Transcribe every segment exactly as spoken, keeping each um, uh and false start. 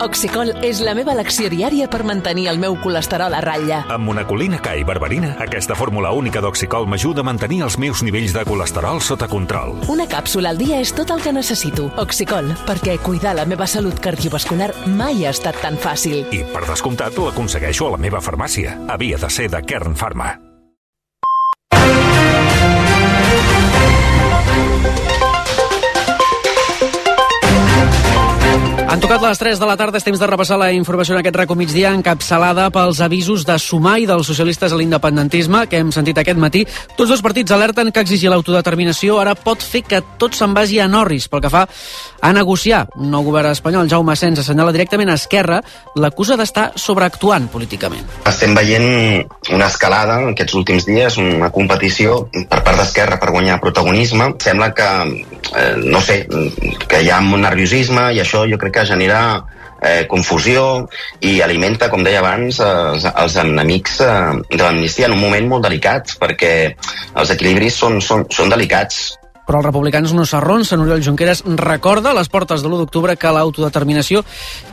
Oxicol és la meva elecció diària per mantenir el meu colesterol a ratlla. Amb monacolina K i berberina, aquesta fórmula única d'Oxicol m'ajuda a mantenir els meus nivells de colesterol sota control. Una càpsula al dia és tot el que necessito. Oxicol, perquè cuidar la meva salut cardiovascular mai ha estat tan fàcil. I, per descomptat, l'aconsegueixo a la meva farmàcia. Havia de ser de Kern Pharma. Han tocat les tres de la tarda, és temps de repassar la informació en aquest racó migdia, encapçalada pels avisos de Sumar i dels socialistes a l'independentisme que hem sentit aquest matí. Tots dos partits alerten que exigir l'autodeterminació ara pot fer que tot se'n vagi a Norris pel que fa a negociar. Un nou govern espanyol, Jaume Asens, assenyala directament a Esquerra, l'acusa d'estar sobreactuant políticament. Estem veient una escalada en aquests últims dies, una competició per part d'Esquerra per guanyar protagonisme. Sembla que, eh, no sé, que hi ha un nerviosisme i això jo crec que genera eh, confusió i alimenta, com deia abans, els, els enemics eh, de l'amnistia en un moment molt delicat, perquè els equilibris són, són, són delicats. Però els republicans no s'arronsen. Oriol Junqueras recorda a les portes de l'u d'octubre que l'autodeterminació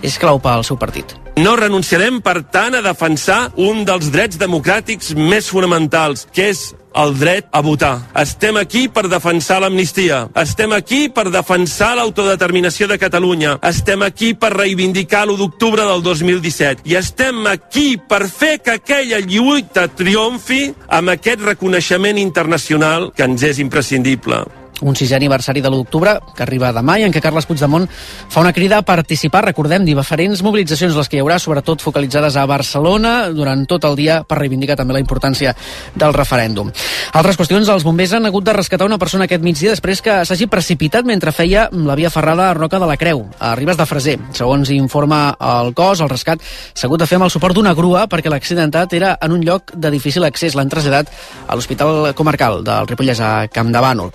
és clau pel seu partit. No renunciarem, per tant, a defensar un dels drets democràtics més fonamentals, que és el dret a votar. Estem aquí per defensar l'amnistia. Estem aquí per defensar l'autodeterminació de Catalunya. Estem aquí per reivindicar l'u d'octubre del dos mil disset. I estem aquí per fer que aquella lluita triomfi amb aquest reconeixement internacional que ens és imprescindible. Un sisè aniversari de l'u d'octubre, que arriba demà, i en què Carles Puigdemont fa una crida a participar, recordem, diferents mobilitzacions, les que hi haurà, sobretot focalitzades a Barcelona, durant tot el dia, per reivindicar també la importància del referèndum. Altres qüestions, els bombers han hagut de rescatar una persona aquest migdia després que s'hagi precipitat mentre feia la via ferrada a Roca de la Creu, a Ribes de Freser. Segons informa el cos, el rescat s'ha hagut de fer amb el suport d'una grua perquè l'accidentat era en un lloc de difícil accés. L'han traslladat a l'Hospital Comarcal del Ripollès a Campdevànol.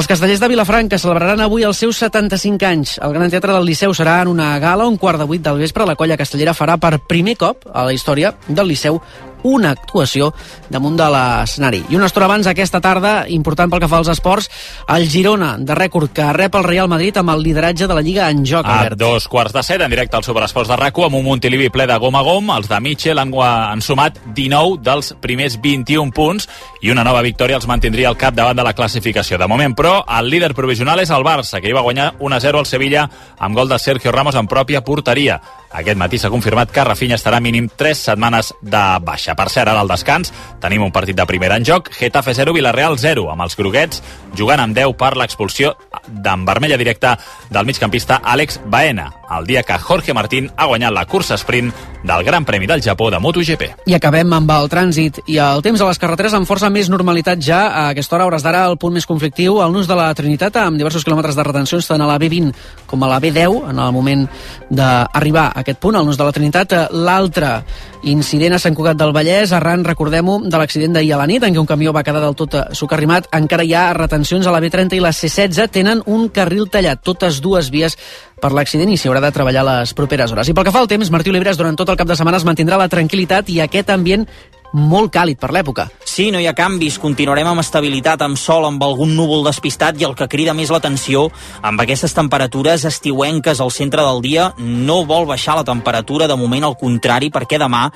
Els Castellers de Vilafranca celebraran avui els seus setanta-cinc anys. El Gran Teatre del Liceu serà en una gala un quart de vuit del vespre. La colla castellera farà per primer cop a la història del Liceu una actuació damunt de l'escenari. I una estona abans, aquesta tarda, important pel que fa als esports, el Girona, de rècord, que rep el Real Madrid amb el lideratge de la Lliga en joc. A Albert. dos quarts de set, en directe al Superesports de RAC u, amb un Montilivi ple de gom a gom. Els de Mitchell han, han sumat dinou dels primers vint-i-un punts i una nova victòria els mantindria al cap davant de la classificació. De moment, però, el líder provisional és el Barça, que hi va guanyar un a zero al Sevilla amb gol de Sergio Ramos en pròpia porteria. Aquest matí s'ha confirmat que Rafinha estarà mínim tres setmanes de baixa. Per cert, ara al descans tenim un partit de primera en joc, Getafe zero, Villarreal zero, amb els groguets jugant amb deu per l'expulsió d'en vermella directa del migcampista Àlex Baena, el dia que Jorge Martín ha guanyat la cursa sprint del Gran Premi del Japó de MotoGP. I acabem amb el trànsit i el temps a les carreteres amb força més normalitat ja. A aquesta hora, hores d'ara, el punt més conflictiu, el nus de la Trinitat, amb diversos quilòmetres de retencions tant a la B vint com a la B deu, en el moment d'arribar a aquest punt, el nus de la Trinitat. L'altre incident a Sant Cugat del Vallès, arran, recordem-ho, de l'accident d'ahir a la nit, en què un camió va quedar del tot socarrimat. Encara hi ha retencions a la B trenta i la C setze, tenen un carril tallat, totes dues vies per l'accident, i s'hi haurà de treballar les properes hores. I pel que fa al temps, Martí Oliveres durant tot el cap de setmana es mantindrà la tranquil·litat i aquest ambient molt càlid per l'època. Sí, no hi ha canvis, continuarem amb estabilitat, amb sol, amb algun núvol despistat, i el que crida més l'atenció, amb aquestes temperatures estiuenques al centre del dia, no vol baixar la temperatura, de moment al contrari, perquè demà,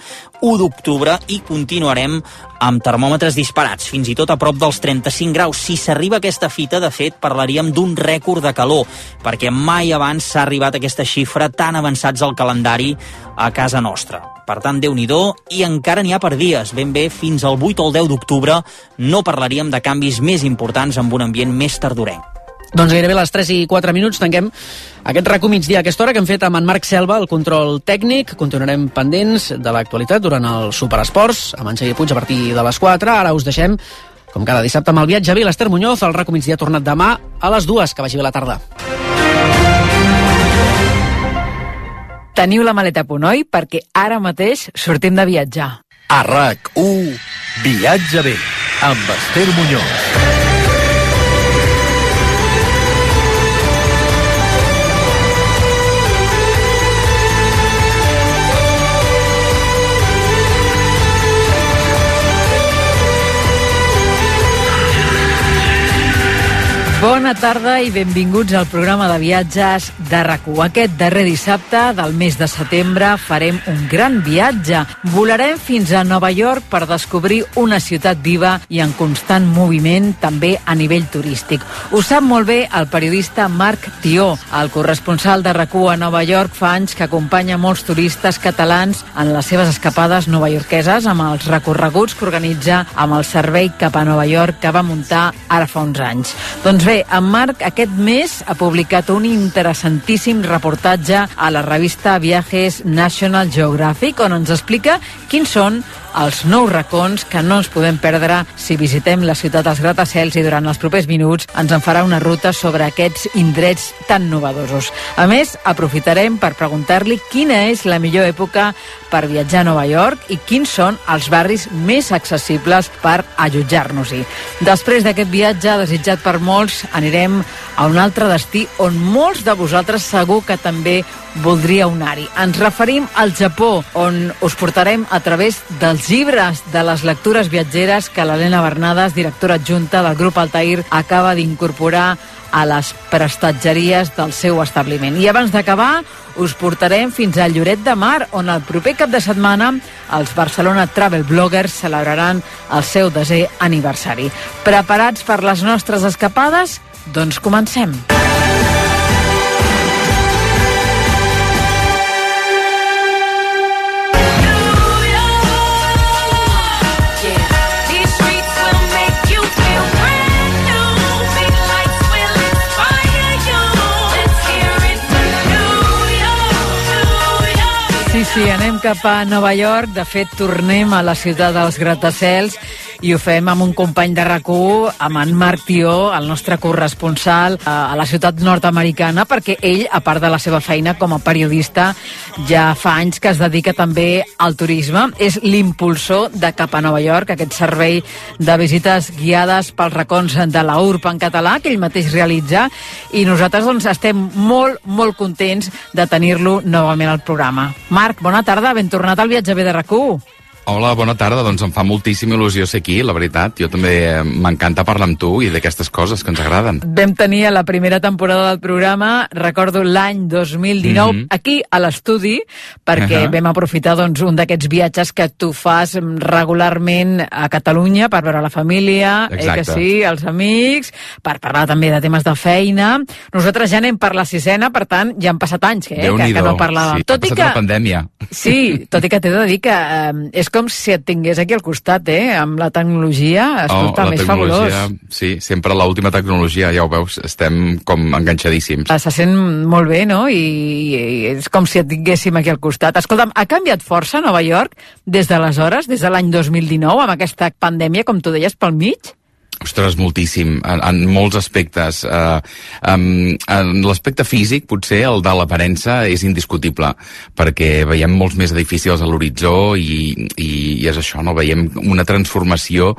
u d'octubre, i continuarem amb termòmetres disparats, fins i tot a prop dels trenta-cinc graus. Si s'arriba a aquesta fita, de fet, parlaríem d'un rècord de calor, perquè mai abans s'ha arribat a aquesta xifra tan avançats al calendari a casa nostra. Per tant, Déu-n'hi-do, i encara n'hi ha per dies, ben bé fins al vuit o el deu d'octubre no parlaríem de canvis més importants amb un ambient més tardorenc. Doncs gairebé a les tres i quatre minuts tanquem aquest RAC u migdia a aquesta hora que hem fet amb en Marc Selva, el control tècnic. Continuarem pendents de l'actualitat durant el Superesports, amb en Xavier Puig a partir de les quatre. Ara us deixem, com cada dissabte, amb el viatge a l'Ester Muñoz. El RAC u migdia ha tornat demà a les dues. Que vagi bé la tarda. Teniu la maleta a punt, oi? Perquè ara mateix sortim de viatjar. A RAC u, viatge bé, amb Ester Muñoz. Bona bona tarda i benvinguts al programa de viatges de RAC1. Aquest darrer dissabte del mes de setembre farem un gran viatge. Volarem fins a Nova York per descobrir una ciutat viva i en constant moviment, també a nivell turístic. Ho sap molt bé el periodista Marc Tió, el corresponsal de RAC1 a Nova York. Fa anys que acompanya molts turistes catalans en les seves escapades novaiorqueses amb els recorreguts que organitza amb el servei cap a Nova York que va muntar ara fa uns anys. Doncs bé, en Marc aquest mes ha publicat un interessantíssim reportatge a la revista Viajes National Geographic on ens explica quins són els nous racons que no ens podem perdre si visitem la ciutat dels gratacels, i durant els propers minuts ens en farà una ruta sobre aquests indrets tan novedosos. A més, aprofitarem per preguntar-li quina és la millor època per viatjar a Nova York i quins són els barris més accessibles per allotjar-nos-hi. Després d'aquest viatge desitjat per molts, anirem a un altre destí on molts de vosaltres segur que també voldríeu anar-hi. Ens referim al Japó, on us portarem a través dels llibres de les lectures viatgeres que l'Helena Bernades, directora adjunta del grup Altair, acaba d'incorporar a les prestatgeries del seu establiment. I abans d'acabar, us portarem fins a Lloret de Mar, on el proper cap de setmana els Barcelona Travel Bloggers celebraran el seu desè aniversari. Preparats per les nostres escapades? Doncs comencem. Sí, sí, anem cap a Nova York. De fet, tornem a la ciutat dels gratacels i ho fem amb un company de RAC1, amb en Marc Tió, el nostre corresponsal a la ciutat nord-americana, perquè ell, a part de la seva feina com a periodista, ja fa anys que es dedica també al turisme. És l'impulsor de Cap a Nova York, aquest servei de visites guiades pels racons de la U R B en català, que ell mateix realitza, i nosaltres doncs, estem molt, molt contents de tenir-lo novament al programa. Marc, bona tarda, ben tornat al Viatge B de RAC1. Hola, bona tarda. Doncs em fa moltíssima il·lusió ser aquí, la veritat. Jo també m'encanta parlar amb tu i d'aquestes coses que ens agraden. Vam tenir a la primera temporada del programa, recordo l'any dos mil dinou, mm-hmm. aquí a l'estudi, perquè uh-huh. vam aprofitar doncs, un d'aquests viatges que tu fas regularment a Catalunya per veure la família, eh, que sí, els amics, per parlar també de temes de feina. Nosaltres ja anem per la sisena, per tant, ja han passat anys eh, que, que no parlàvem. Sí, tot ha passat que, la pandèmia. Sí, tot i que t'he de dir que eh, és com si et tingués aquí al costat, eh? Amb la tecnologia, escolta, oh, més fabulós. Sí, sempre l'última tecnologia, ja ho veus, estem com enganxadíssims. Se sent molt bé, no? I, i és com si et tinguéssim aquí al costat. Escolta'm, ha canviat força Nova York des d'aleshores, des de l'any dos mil dinou, amb aquesta pandèmia, com tu deies, pel mig? Ostres, moltíssim, en, en molts aspectes. Uh, um, en l'aspecte físic, potser el de l'aparença és indiscutible, perquè veiem molts més edificis a l'horitzó i, i, i és això, no? Veiem una transformació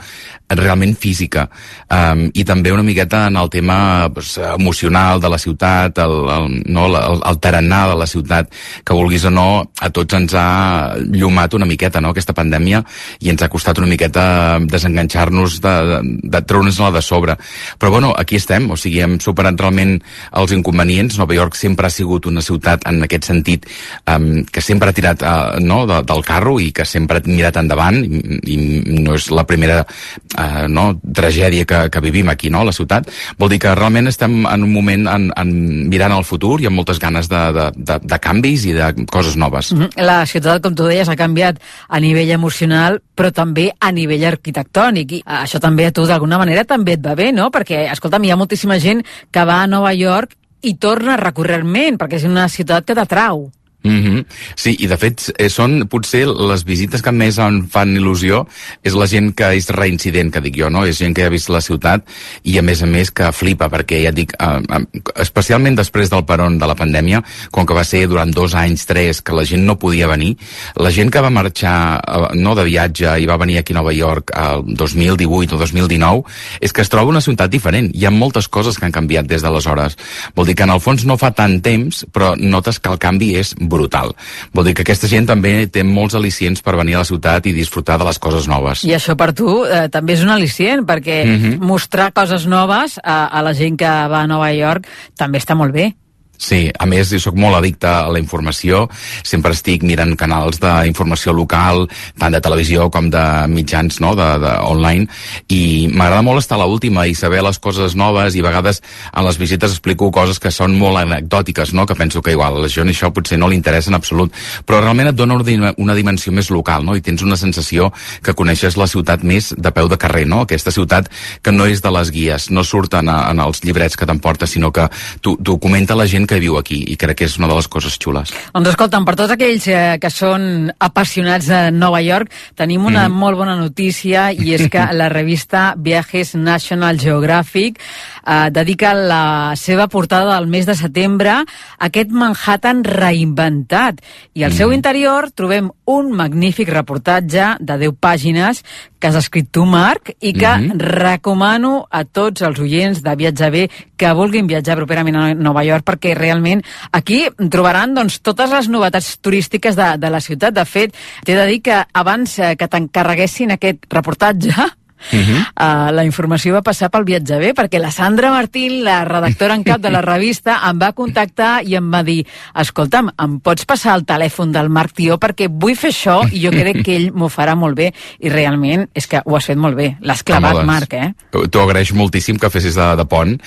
realment física. Um, I també una miqueta en el tema pues, emocional de la ciutat, el, el, no, el, el tarannà de la ciutat, que vulguis o no, a tots ens ha llumat una miqueta, no?, aquesta pandèmia, i ens ha costat una miqueta desenganxar-nos de, de, de treure'ns-la de sobre. Però bueno, aquí estem, o sigui, hem superat realment els inconvenients. Nova York sempre ha sigut una ciutat en aquest sentit um, que sempre ha tirat uh, no, de, del carro i que sempre ha mirat endavant, i, i no és la primera uh, no, tragèdia que, que vivim aquí, no, a la ciutat. Vol dir que realment estem en un moment en, en mirant al futur i amb moltes ganes de, de, de, de canvis i de coses noves. La ciutat, com tu deies, ha canviat a nivell emocional, però també a nivell arquitectònic, i això també a tu d'alguna manera també et va bé, no? Perquè, escolta'm, hi ha moltíssima gent que va a Nova York i torna recurrentment, perquè és una ciutat que t'atrau. Mm-hmm. Sí, i de fet eh, són potser les visites que més em fan il·lusió és la gent que és reincident, que dic jo, no? És gent que ha vist la ciutat i a més a més que flipa, perquè ja et dic, eh, especialment després del peron de la pandèmia, com que va ser durant dos anys, tres, que la gent no podia venir, la gent que va marxar eh, no de viatge i va venir aquí a Nova York el dos mil divuit o dos mil dinou, és que es troba una ciutat diferent. Hi ha moltes coses que han canviat des d'aleshores. Vol dir que en el fons no fa tant temps, però notes que el canvi és brutal. brutal. Vol dir que aquesta gent també té molts al·licients per venir a la ciutat i disfrutar de les coses noves. I això per tu eh, també és un al·licient, perquè mm-hmm. mostrar coses noves a, a la gent que va a Nova York també està molt bé. Sí, a més, jo soc molt addicte a la informació, sempre estic mirant canals d'informació local, tant de televisió com de mitjans, no?, de, de online, i m'agrada molt estar a l'última i saber les coses noves, i a vegades en les visites explico coses que són molt anecdòtiques, no?, que penso que igual a la gent això potser no li interessa en absolut, però realment et dona una dimensió més local, no?, i tens una sensació que coneixes la ciutat més de peu de carrer, no?, aquesta ciutat que no és de les guies, no surten en els llibrets que t'emportes, sinó que t'ho comenta la gent que viu aquí, i crec que és una de les coses xules. Doncs escolta'm, per tots aquells eh, que són apassionats de Nova York, tenim una mm. molt bona notícia, i és que la revista Viajes National Geographic eh, dedica la seva portada del mes de setembre a aquest Manhattan reinventat, i al mm. seu interior trobem un magnífic reportatge de deu pàgines que has escrit tu, Marc, i que mm-hmm. recomano a tots els oients de Viatge Bé que vulguin viatjar properament a Nova York, perquè realment aquí trobaran doncs, totes les novetats turístiques de, de la ciutat. De fet, t'he de dir que abans eh, que t'encarreguessin aquest reportatge, Uh-huh. Uh, la informació va passar pel Viatge Bé, perquè la Sandra Martín, la redactora en cap de la revista, em va contactar i em va dir: escolta'm, em pots passar el telèfon del Marc Tió perquè vull fer això i jo crec que ell m'ho farà molt bé. I realment és que ho has fet molt bé, l'has clavat, doncs, Marc, eh? T'ho agraeixo moltíssim que fessis de, de pont,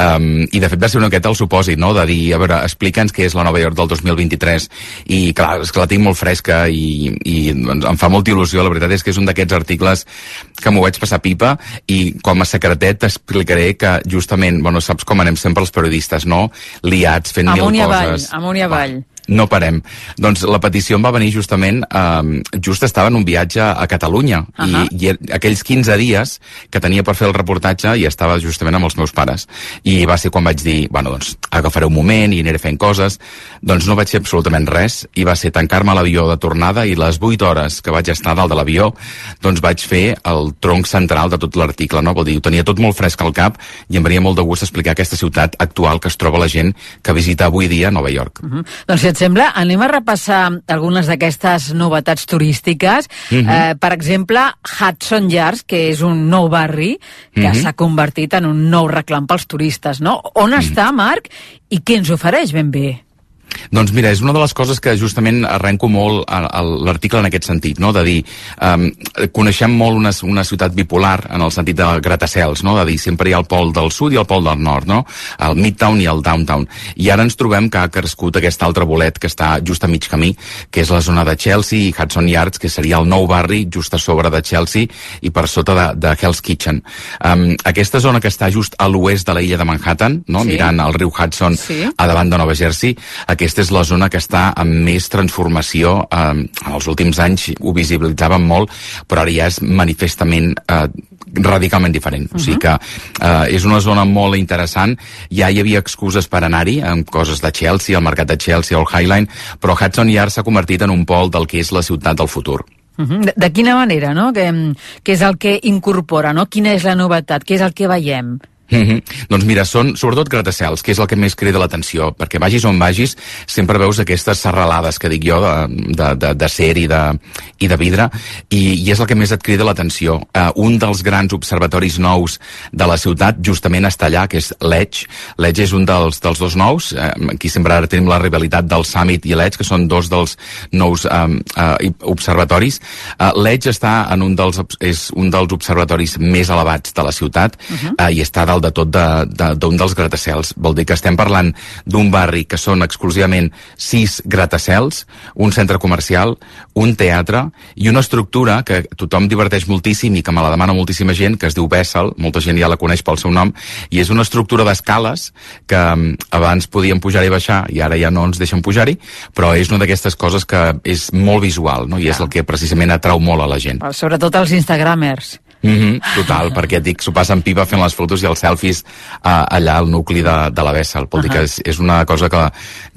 um, i de fet va ser una miqueta el supòsit, no?, de dir, a veure, explica'ns què és la Nova York del dos mil vint-i-tres, i clar, és que la tinc molt fresca i, i doncs, em fa molta il·lusió. La veritat és que és un d'aquests articles que m'ho vaig passar pipa, i com a secretet t'explicaré que justament, bueno, saps com anem sempre els periodistes, no?, liats, fent amunt mil avall, coses. amunt i avall. No parem. Doncs la petició em va venir justament, eh, just estava en un viatge a Catalunya, uh-huh. i, i aquells quinze dies que tenia per fer el reportatge i estava justament amb els meus pares. I va ser quan vaig dir, bueno, doncs agafaré un moment i aniré fent coses. Doncs no vaig fer absolutament res, i va ser tancar-me a l'avió de tornada, i les vuit hores que vaig estar dalt de l'avió, doncs vaig fer el tronc central de tot l'article, no? Vol dir, ho tenia tot molt fresc al cap, i em venia molt de gust explicar aquesta ciutat actual que es troba la gent que visita avui dia Nova York. Uh-huh. Doncs si et sembla, anem a repassar algunes d'aquestes novetats turístiques. Uh-huh. eh, per exemple, Hudson Yards, que és un nou barri que uh-huh. s'ha convertit en un nou reclam pels turistes, no? On uh-huh. està, Marc, i què ens ofereix ben bé? Doncs mira, és una de les coses que justament arrenco molt a, a l'article en aquest sentit, no?, de dir, um, coneixem molt una, una ciutat bipolar en el sentit de gratacels, no?, de dir, sempre hi ha el pol del sud i el pol del nord, no?, el Midtown i el Downtown, i ara ens trobem que ha crescut aquest altre bolet que està just a mig camí, que és la zona de Chelsea i Hudson Yards, que seria el nou barri just a sobre de Chelsea i per sota de, de Hell's Kitchen. Um, aquesta zona que està just a l'oest de la illa de Manhattan, no?, sí. mirant el riu Hudson sí. a davant de Nova Jersey, aquesta és la zona que està amb més transformació. Eh, en els últims anys ho visibilitzàvem molt, però ara ja és manifestament eh, radicalment diferent. Uh-huh. O sigui que eh, és una zona molt interessant. Ja hi havia excuses per anar-hi, amb coses de Chelsea, el mercat de Chelsea o el High Line, però Hudson Yards s'ha convertit en un pol del que és la ciutat del futur. Uh-huh. De, de quina manera, no? Què, què és el que incorpora, no? Quina és la novetat? Què és el que veiem? Mm-hmm. Doncs mira, són sobretot gratacels, que és el que més crida l'atenció, perquè vagis on vagis sempre veus aquestes serralades que dic jo de, de, de, de ser i de, i de vidre, i, i és el que més et crida l'atenció. Uh, un dels grans observatoris nous de la ciutat justament està allà, que és l'Edge. L'Edge és un dels, dels dos nous. Uh, aquí sempre ara tenim la rivalitat del Summit i l'Edge, que són dos dels nous um, uh, observatoris. Uh, L'Edge està en un dels, és un dels observatoris més elevats de la ciutat, uh-huh. uh, i està dalt de tot d'un de, de, dels gratacels. Vol dir que estem parlant d'un barri que són exclusivament sis gratacels, un centre comercial, un teatre i una estructura que tothom diverteix moltíssim i que me la demana moltíssima gent, que es diu Bessel, molta gent ja la coneix pel seu nom, i és una estructura d'escales que abans podíem pujar i baixar i ara ja no ens deixen pujar-hi, però és una d'aquestes coses que és molt visual, no? I és el que precisament atrau molt a la gent. Sobretot els instagramers. Mm-hmm, total, perquè et dic, s'ho passen pipa fent les fotos i els selfies uh, allà al nucli de, de la Bessel. Vol dir uh-huh. que és, és una cosa que,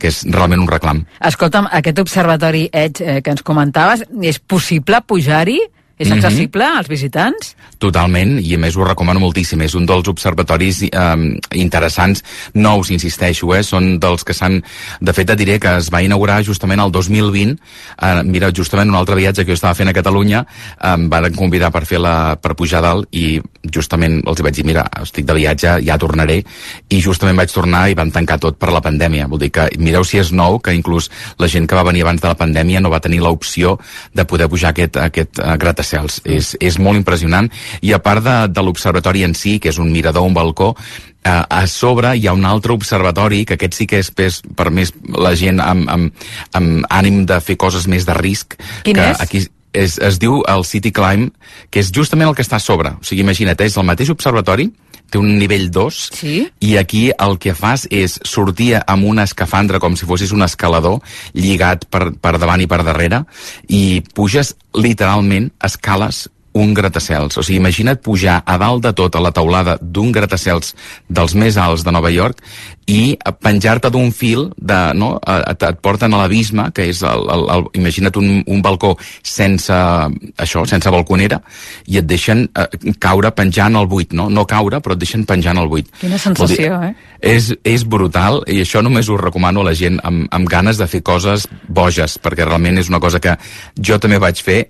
que és realment un reclam. Escolta'm, aquest observatori Edge eh, que ens comentaves, és possible pujar-hi? És accessible als visitants? Totalment, i a més ho recomano moltíssim. És un dels observatoris eh, interessants, nous, insisteixo, eh? Són dels que s'han... De fet, et diré que es va inaugurar justament el dos mil vint. Eh, mira, justament un altre viatge que jo estava fent a Catalunya, eh, em van convidar per fer la, per pujar dalt, i justament els vaig dir, mira, estic de viatge, ja tornaré, i justament vaig tornar i van tancar tot per la pandèmia. Vol dir que mireu si és nou, que inclús la gent que va venir abans de la pandèmia no va tenir l'opció de poder pujar aquest, aquest uh, gratacels. Mm. És, és molt impressionant, i a part de, de l'observatori en si, que és un mirador, un balcó, uh, a sobre hi ha un altre observatori, que aquest sí que és per, per més la gent amb, amb, amb ànim de fer coses més de risc. Quin que és? Aquí és, es diu el City Climb, que és justament el que està a sobre. O sigui, imagina't, és el mateix observatori, té un nivell dos, sí? I aquí el que fas és sortir amb una escafandra com si fossis un escalador lligat per, per davant i per darrere, i puges literalment, escales un gratacels. O sigui, imagina't pujar a dalt de tot a la teulada d'un gratacels dels més alts de Nova York i penjar-te d'un fil, de, no? et, et porten a l'abisme, que és, el, el, el, imagina't un, un balcó sense això, sense balconera, i et deixen eh, caure penjant al buit, no? No caure, però et deixen penjant al buit. Quina sensació, dir, eh? És, és brutal, i això només ho recomano a la gent amb, amb ganes de fer coses boges, perquè realment és una cosa que jo també vaig fer,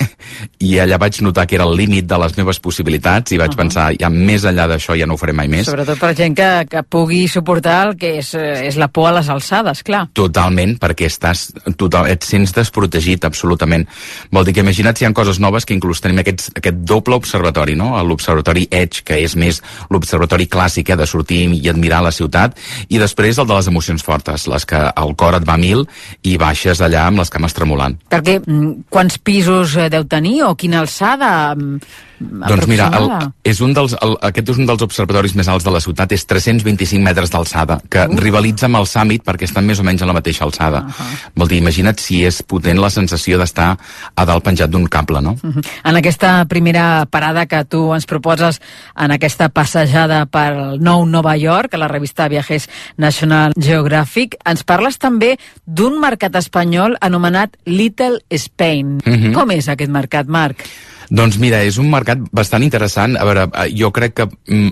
i allà vaig notar que era el límit de les meves possibilitats, i vaig uh -huh. pensar, ja més enllà d'això ja no ho faré mai més. Sobretot per gent que, que pugui suportar el que és, és la por a les alçades, clar. Totalment, perquè estàs total, et sents desprotegit, absolutament. Vol dir que imagina't si hi ha coses noves, que inclús tenim aquests, aquest doble observatori, no? L'observatori Edge, que és més l'observatori clàssic, eh, de sortir i admirar la ciutat, i després el de les emocions fortes, les que el cor et va a mil i baixes allà amb les cames tremolant. Perquè quants pisos deu tenir, o quina alçada? Doncs mira, el, és un dels, el, aquest és un dels observatoris més alts de la ciutat, és tres-cents vint-i-cinc metres d'alçada, que uh. rivalitza amb el Summit perquè estan més o menys a la mateixa alçada. Uh -huh. Vol dir, imagina't si és potent la sensació d'estar a dalt penjat d'un cable, no? Uh -huh. En aquesta primera parada que tu ens proposes, en aquesta passejada per nou Nova York, a la revista Viajes National Geographic, ens parles també d'un mercat espanyol anomenat Little Spain. Uh -huh. Com és aquest mercat, Marc? Doncs mira, és un mercat bastant interessant. A veure, jo crec que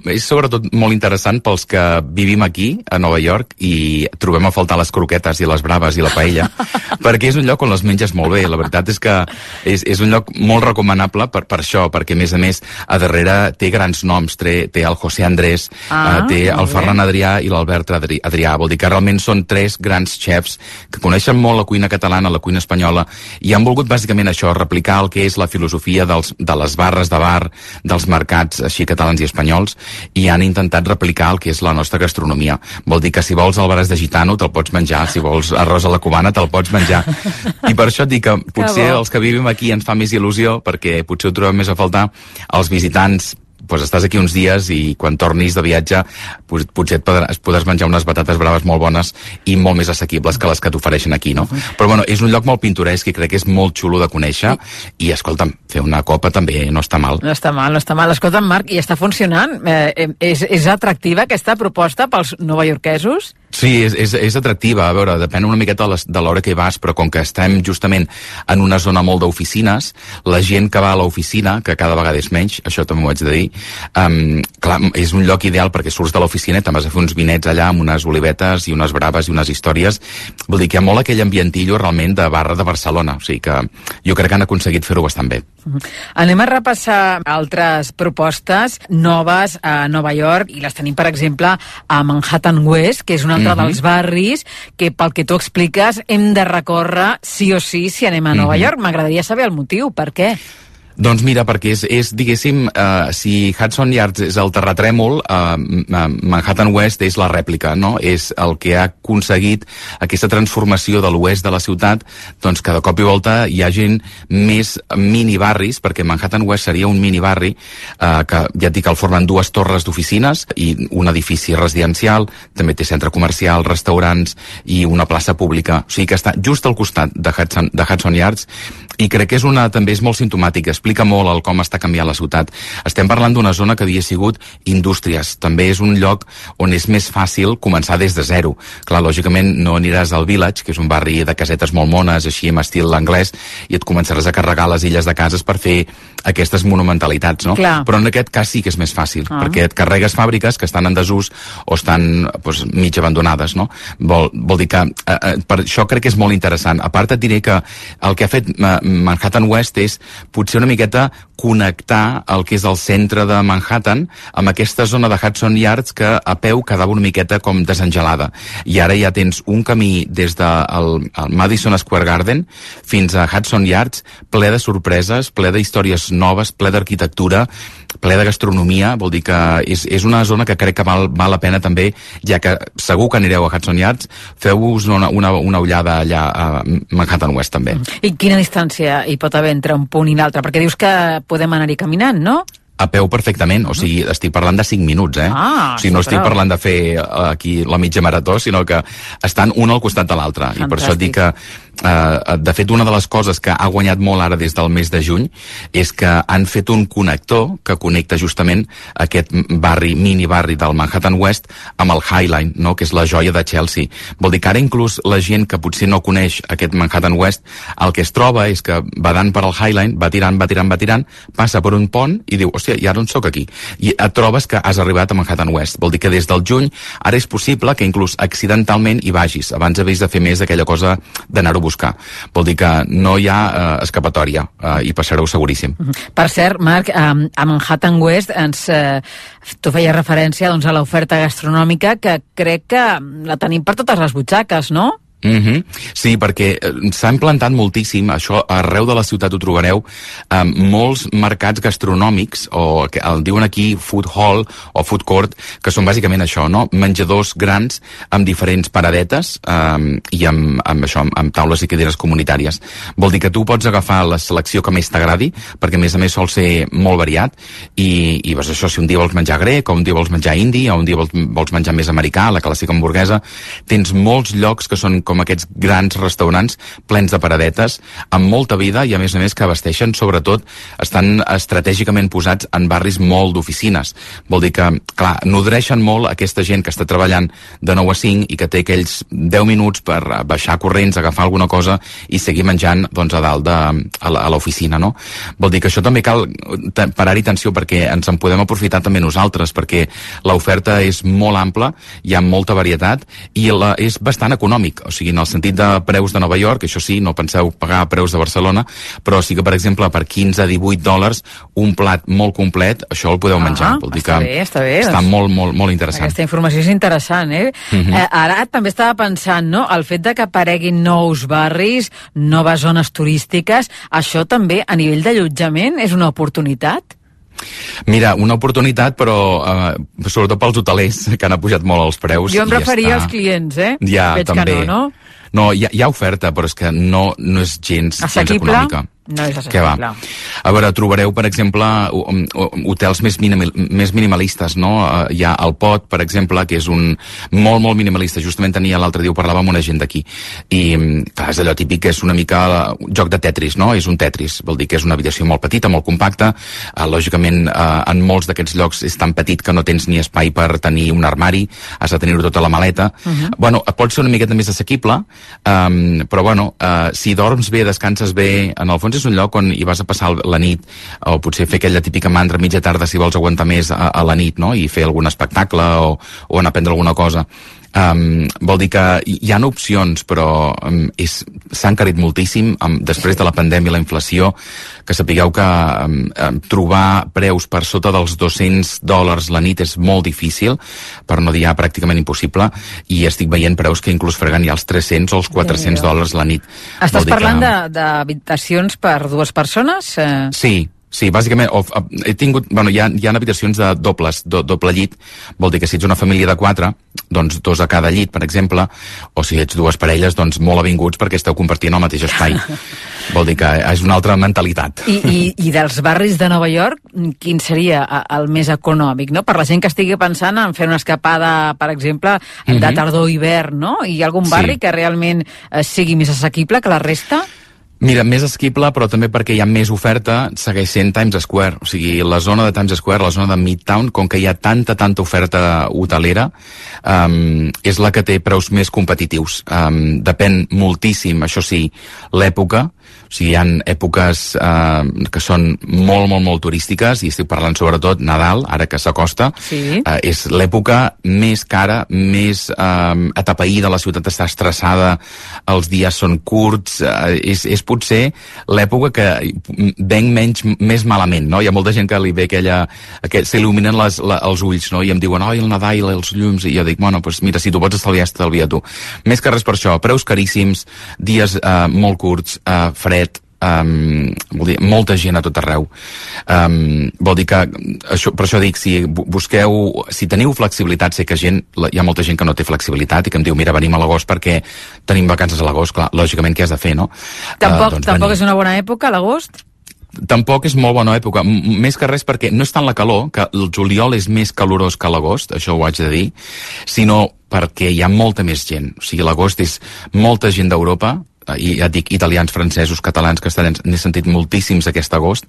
és sobretot molt interessant pels que vivim aquí, a Nova York, i trobem a faltar les croquetes i les braves i la paella, perquè és un lloc on les menges molt bé. La veritat és que és, és un lloc molt recomanable per, per això, perquè a més a més a darrere té grans noms, té, té el José Andrés, ah, uh, té el Ferran Adrià i l'Albert Adri, Adrià. Vol dir que realment són tres grans xefs que coneixen molt la cuina catalana, la cuina espanyola, i han volgut bàsicament això, replicar el que és la filosofia del de les barres de bar, dels mercats així catalans i espanyols, i han intentat replicar el que és la nostra gastronomia. Vol dir que si vols albaràs de gitano te'l pots menjar, si vols arròs a la cubana te'l pots menjar. I per això et dic que potser que els que vivim aquí ens fa més il·lusió, perquè potser ho trobem més a faltar. Els visitants, pues estàs aquí uns dies i quan tornis de viatge pues, potser et podràs, podràs menjar unes patates braves molt bones i molt més assequibles que les que t'ofereixen aquí, no? Però bueno, és un lloc molt pintoresc i crec que és molt xulo de conèixer, i escolta'm, fer una copa també no està mal. No està mal, no està mal. Escolta'm, Marc, i està funcionant? Eh, és, és atractiva aquesta proposta pels novaiorquesos? Sí, és, és, és atractiva. A veure, depèn una miqueta de l'hora que hi vas, però com que estem justament en una zona molt d'oficines, la gent que va a l'oficina, que cada vegada és menys, això també m'ho haig de dir, um, clar, és un lloc ideal perquè surts de l'oficina i te'n vas a fer uns vinets allà amb unes olivetes i unes braves i unes històries. Vol dir que hi ha molt aquell ambientillo realment de barra de Barcelona, o sigui que jo crec que han aconseguit fer-ho bastant bé. Uh-huh. Anem a repassar altres propostes noves a Nova York, i les tenim, per exemple, a Manhattan West, que és un altre uh-huh. dels barris que, pel que tu expliques, hem de recórrer sí o sí si anem a Nova uh-huh. York. M'agradaria saber el motiu, per què? Doncs mira, perquè és, és diguéssim, uh, si Hudson Yards és el terratrèmol, uh, Manhattan West és la rèplica, no? És el que ha aconseguit aquesta transformació de l'oest de la ciutat, doncs cada cop i volta hi ha gent més mini-barris, perquè Manhattan West seria un mini-barri, uh, que ja et dic que el formen dues torres d'oficines i un edifici residencial, també té centre comercial, restaurants i una plaça pública, o sigui que està just al costat de Hudson, de Hudson Yards, i crec que és una, també és molt simptomàtic. explica molt el com està canviant la ciutat. Estem parlant d'una zona que havia sigut indústries. També és un lloc on és més fàcil començar des de zero. Clar, lògicament no aniràs al Village, que és un barri de casetes molt mones, així amb estil anglès, i et començaràs a carregar les illes de cases per fer aquestes monumentalitats, no? Clar. Però en aquest cas sí que és més fàcil, ah. perquè et carregues fàbriques que estan en desús o estan pues, mig abandonades, no? Vol, vol dir que eh, eh, per això crec que és molt interessant. A part et diré que el que ha fet eh, Manhattan West és potser una miqueta connectar el que és el centre de Manhattan amb aquesta zona de Hudson Yards que a peu quedava una miqueta com desengelada. I ara ja tens un camí des del el Madison Square Garden fins a Hudson Yards ple de sorpreses, ple d'històries noves, ple d'arquitectura, ple de gastronomia. Vol dir que és, és una zona que crec que val, val la pena també, ja que segur que anireu a Hudson Yards, feu-vos una, una, una ullada allà a Manhattan West també. I quina distància hi pot haver entre un punt i l'altre? Perquè dius que podem anar-hi caminant, no? A peu perfectament, o sigui, estic parlant de cinc minuts, eh? Ah, o sigui, no sí, estic però... parlant de fer aquí la mitja marató, sinó que estan un al costat de l'altre. I per això dic que, eh, de fet, una de les coses que ha guanyat molt ara des del mes de juny és que han fet un connector que connecta justament aquest barri, mini barri del Manhattan West amb el High Line, no?, que és la joia de Chelsea. Vol dir que ara inclús la gent que potser no coneix aquest Manhattan West, el que es troba és que badant per al High Line, va tirant, va tirant, va tirant, passa per un pont i diu, hòstia, i ara on soc aquí? I et trobes que has arribat a Manhattan West. Vol dir que des del juny ara és possible que inclús accidentalment hi vagis. Abans havies de fer més d'aquella cosa d'anar-ho a buscar. Vol dir que no hi ha eh, escapatòria eh, i passareu seguríssim. Per cert, Marc, a, a Manhattan West ens, eh, tu feies referència doncs, a l'oferta gastronòmica que crec que la tenim per totes les butxaques, no? Mm-hmm. Sí, perquè s'ha implantat moltíssim, això arreu de la ciutat ho trobareu, eh, molts mercats gastronòmics, o que el diuen aquí food hall o food court, que són bàsicament això, no? Menjadors grans amb diferents paradetes eh, i amb, amb això, amb, amb taules i cadires comunitàries. Vol dir que tu pots agafar la selecció que més t'agradi, perquè a més a més sol ser molt variat, i, i doncs això, si un dia vols menjar grec, o un dia vols menjar indi, o un dia vols, vols menjar més americà, la clàssica hamburguesa, tens molts llocs que són com aquests grans restaurants plens de paradetes, amb molta vida i a més a més que abasteixen, sobretot estan estratègicament posats en barris molt d'oficines. Vol dir que, clar, nodreixen molt aquesta gent que està treballant de nou a cinc i que té aquells deu minuts per baixar corrents, agafar alguna cosa i seguir menjant doncs, a dalt de, a l'oficina, no? Vol dir que això també cal parar-hi atenció perquè ens en podem aprofitar també nosaltres, perquè l'oferta és molt ampla, hi ha molta varietat i la, és bastant econòmic, o sigui, en el sentit de preus de Nova York, això sí, no penseu pagar preus de Barcelona, però sí que, per exemple, per quinze a divuit dòlars, un plat molt complet, això el podeu menjar. Ah, Vol dir està que bé, està bé. Està doncs, molt, molt, molt interessant. Aquesta informació és interessant, eh? Mhm. eh? Ara també estava pensant, no?, el fet de que apareguin nous barris, noves zones turístiques, això també, a nivell d'allotjament, és una oportunitat? Mira, una oportunitat, però eh, sobretot pels hotelers, que han pujat molt els preus. Jo em referia està... als clients, eh? Ja, Veig també. que no, no? No, hi ha, hi ha oferta, però és que no, no és gens, gens Assequible? econòmica. No és Què va? assequible. A veure, trobareu, per exemple, hotels més, minimal, més minimalistes, no? Hi ha el Pot, per exemple, que és un molt, molt minimalista. Justament tenia l'altre dia, ho parlava amb una gent d'aquí. I, clar, és allò típic que és una mica un joc de Tetris, no? És un Tetris. Vol dir que és una habitació molt petita, molt compacta. Uh, lògicament, uh, en molts d'aquests llocs és tan petit que no tens ni espai per tenir un armari, has de tenir-ho tota la maleta. Uh-huh. Bueno, pot ser una miqueta més assequible, um, però, bueno, uh, si dorms bé, descanses bé, en el fons és un lloc on hi vas a passar la nit, o potser fer aquella típica mandra mitja tarda si vols aguantar més a, a la nit, no?, i fer algun espectacle o, o anar a prendre alguna cosa. Um, vol dir que hi ha opcions, però um, s'ha encarit moltíssim um, després de la pandèmia i la inflació, que sapigueu que um, um, trobar preus per sota dels dos-cents dòlars la nit és molt difícil, per no dir ja pràcticament impossible, i estic veient preus que inclús freguen ja els tres-cents o els quatre-cents dòlars la nit. Estàs parlant que... d'habitacions per dues persones? Eh... Sí. Sí, bàsicament, o, he tingut, bueno, hi ha, hi ha habitacions de dobles, do, doble llit, vol dir que si ets una família de quatre, doncs dos a cada llit, per exemple, o si ets dues parelles, doncs molt avinguts perquè esteu compartint el mateix espai. Vol dir que és una altra mentalitat. I, i, i dels barris de Nova York, quin seria el més econòmic, no? Per la gent que estigui pensant en fer una escapada, per exemple, de tardor-hivern, no? Hi ha algun barri Sí. que realment eh, sigui més assequible que la resta? Mira, més assequible, però també perquè hi ha més oferta, segueix sent Times Square. O sigui, la zona de Times Square, la zona de Midtown, com que hi ha tanta, tanta oferta hotelera, um, és la que té preus més competitius. Um, depèn moltíssim, això sí, l'època. O sigui, hi ha èpoques uh, que són molt, molt, molt turístiques, i estic parlant sobretot Nadal, ara que s'acosta. Sí. Uh, és l'època més cara, més uh, atapeïda, la ciutat està estressada, els dies són curts, uh, és, és potser l'època que venc menys, més malament, no? Hi ha molta gent que li ve aquella... aquella s'il·luminen les, la, els ulls, no? I em diuen, oi, el Nadal, els llums, i jo dic, bueno, pues mira, si tu pots estalviar, estalvia tu. Més que res per això, preus caríssims, dies uh, molt curts, uh, fred, Um, vol dir, molta gent a tot arreu. Um, vol dir que, això, per això dic, si busqueu, si teniu flexibilitat, sé que gent, hi ha molta gent que no té flexibilitat i que em diu, mira, venim a l'agost perquè tenim vacances a l'agost, clar, lògicament què has de fer, no? Tampoc, uh, doncs tampoc venim. és una bona època, l'agost? Tampoc és molt bona època, M més que res perquè no és tant la calor, que el juliol és més calorós que l'agost, això ho haig de dir, sinó perquè hi ha molta més gent. O sigui, l'agost és molta gent d'Europa, i ja et dic, italians, francesos, catalans, castellans, n'he sentit moltíssims aquest agost,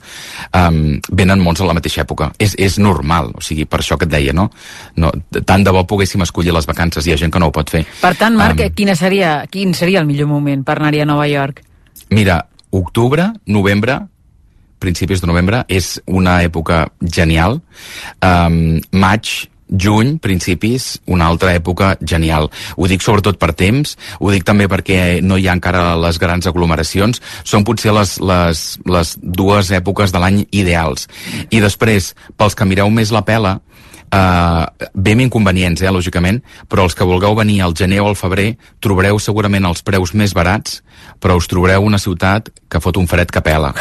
um, venen molts a la mateixa època. És, és normal, o sigui, per això que et deia, no? no? Tant de bo poguéssim escollir les vacances, hi ha gent que no ho pot fer. Per tant, Marc, um, quina seria, quin seria el millor moment per anar-hi a Nova York? Mira, octubre, novembre, principis de novembre, és una època genial. Um, maig, juny, principis, una altra època genial. Ho dic sobretot per temps, ho dic també perquè no hi ha encara les grans aglomeracions, són potser les, les, les dues èpoques de l'any ideals. I després, pels que mireu més la pela, Uh, bé amb inconvenients, eh, lògicament, però els que vulgueu venir al gener o al febrer trobareu segurament els preus més barats, però us trobareu una ciutat que fot un fred que pela.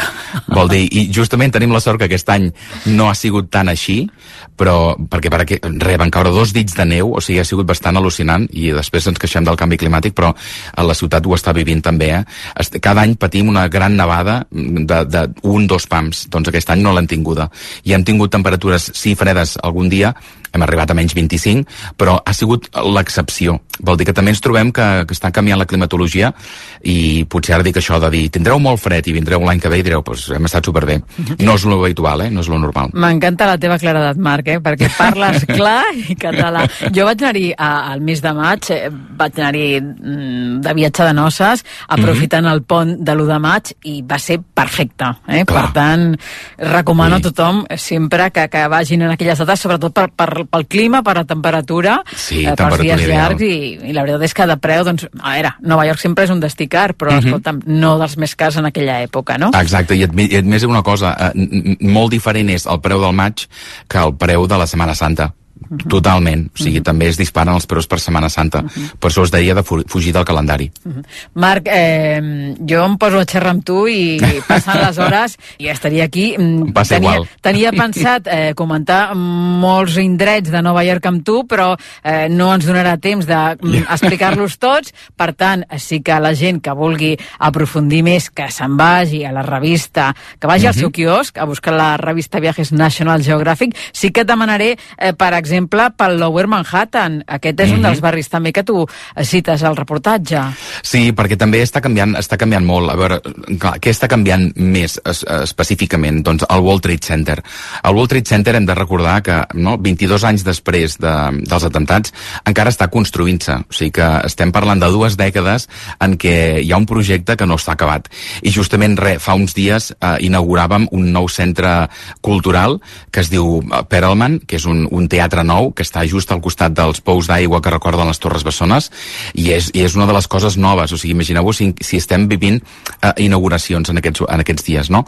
Vol dir, i justament tenim la sort que aquest any no ha sigut tan així, però perquè, perquè re, van caure dos dits de neu, o sigui, ha sigut bastant al·lucinant, i després ens queixem del canvi climàtic, però a la ciutat ho està vivint també, eh? Cada any patim una gran nevada de, de un, dos pams, doncs aquest any no l'han tinguda. I hem tingut temperatures, sí, fredes algun dia, hem arribat a menys vint-i-cinc, però ha sigut l'excepció. Vol dir que també ens trobem que, que està canviant la climatologia, i potser ara dic això de dir, tindreu molt fred i vindreu l'any que ve i direu, pues hem estat superbé. No és lo habitual, eh? No és lo normal. M'encanta la teva claredat, Marc, eh? Perquè parles clar i català. Jo vaig anar-hi al mes de maig, eh, vaig anar-hi mm, de viatge de noces, aprofitant mm-hmm. el pont de l'u de maig, i va ser perfecte. Eh? Per tant, recomano sí. a tothom sempre que, que vagin en aquelles dates, sobretot per, per, pel clima, per la temperatura, sí, eh, pels dies llargs, i, i la veritat és que de preu, doncs, a veure, Nova York sempre és un destí car, però, mm-hmm. escolta'm, no dels més cars en aquella època, no? Exacte, i et, i et més una cosa, eh, molt diferent és el preu del maig que el preu de la Setmana Santa. Uh-huh. Totalment, o sigui, uh-huh. també es disparen els preus per Setmana Santa, uh-huh. per això es deia de fugir del calendari. Uh-huh. Marc, eh, jo em poso a xerrar amb tu i passen les hores i estaria aquí. Passa tenia, igual. Tenia pensat eh, comentar molts indrets de Nova York amb tu, però eh, no ens donarà temps d'explicar-los tots, per tant, sí que la gent que vulgui aprofundir més, que se'n vagi a la revista, que vagi uh-huh. al seu quiosc a buscar la revista Viajes National Geographic. Sí que et demanaré, eh, per exemple, exemple, pel Lower Manhattan. Aquest és mm-hmm. un dels barris també que tu cites al reportatge. Sí, perquè també està canviant, està canviant molt. A veure, clar, què està canviant més es, específicament? Doncs el World Trade Center. El World Trade Center hem de recordar que no, vint-i-dos anys després de, dels atemptats encara està construint-se. O sigui que estem parlant de dues dècades en què hi ha un projecte que no està acabat. I justament re, fa uns dies eh, inauguràvem un nou centre cultural que es diu Perelman, que és un, un teatre nou, que està just al costat dels pous d'aigua que recorden les Torres Bessones, i és, i és una de les coses noves. O sigui, imagineu-vos si, si estem vivint uh, inauguracions en aquests, en aquests dies, no?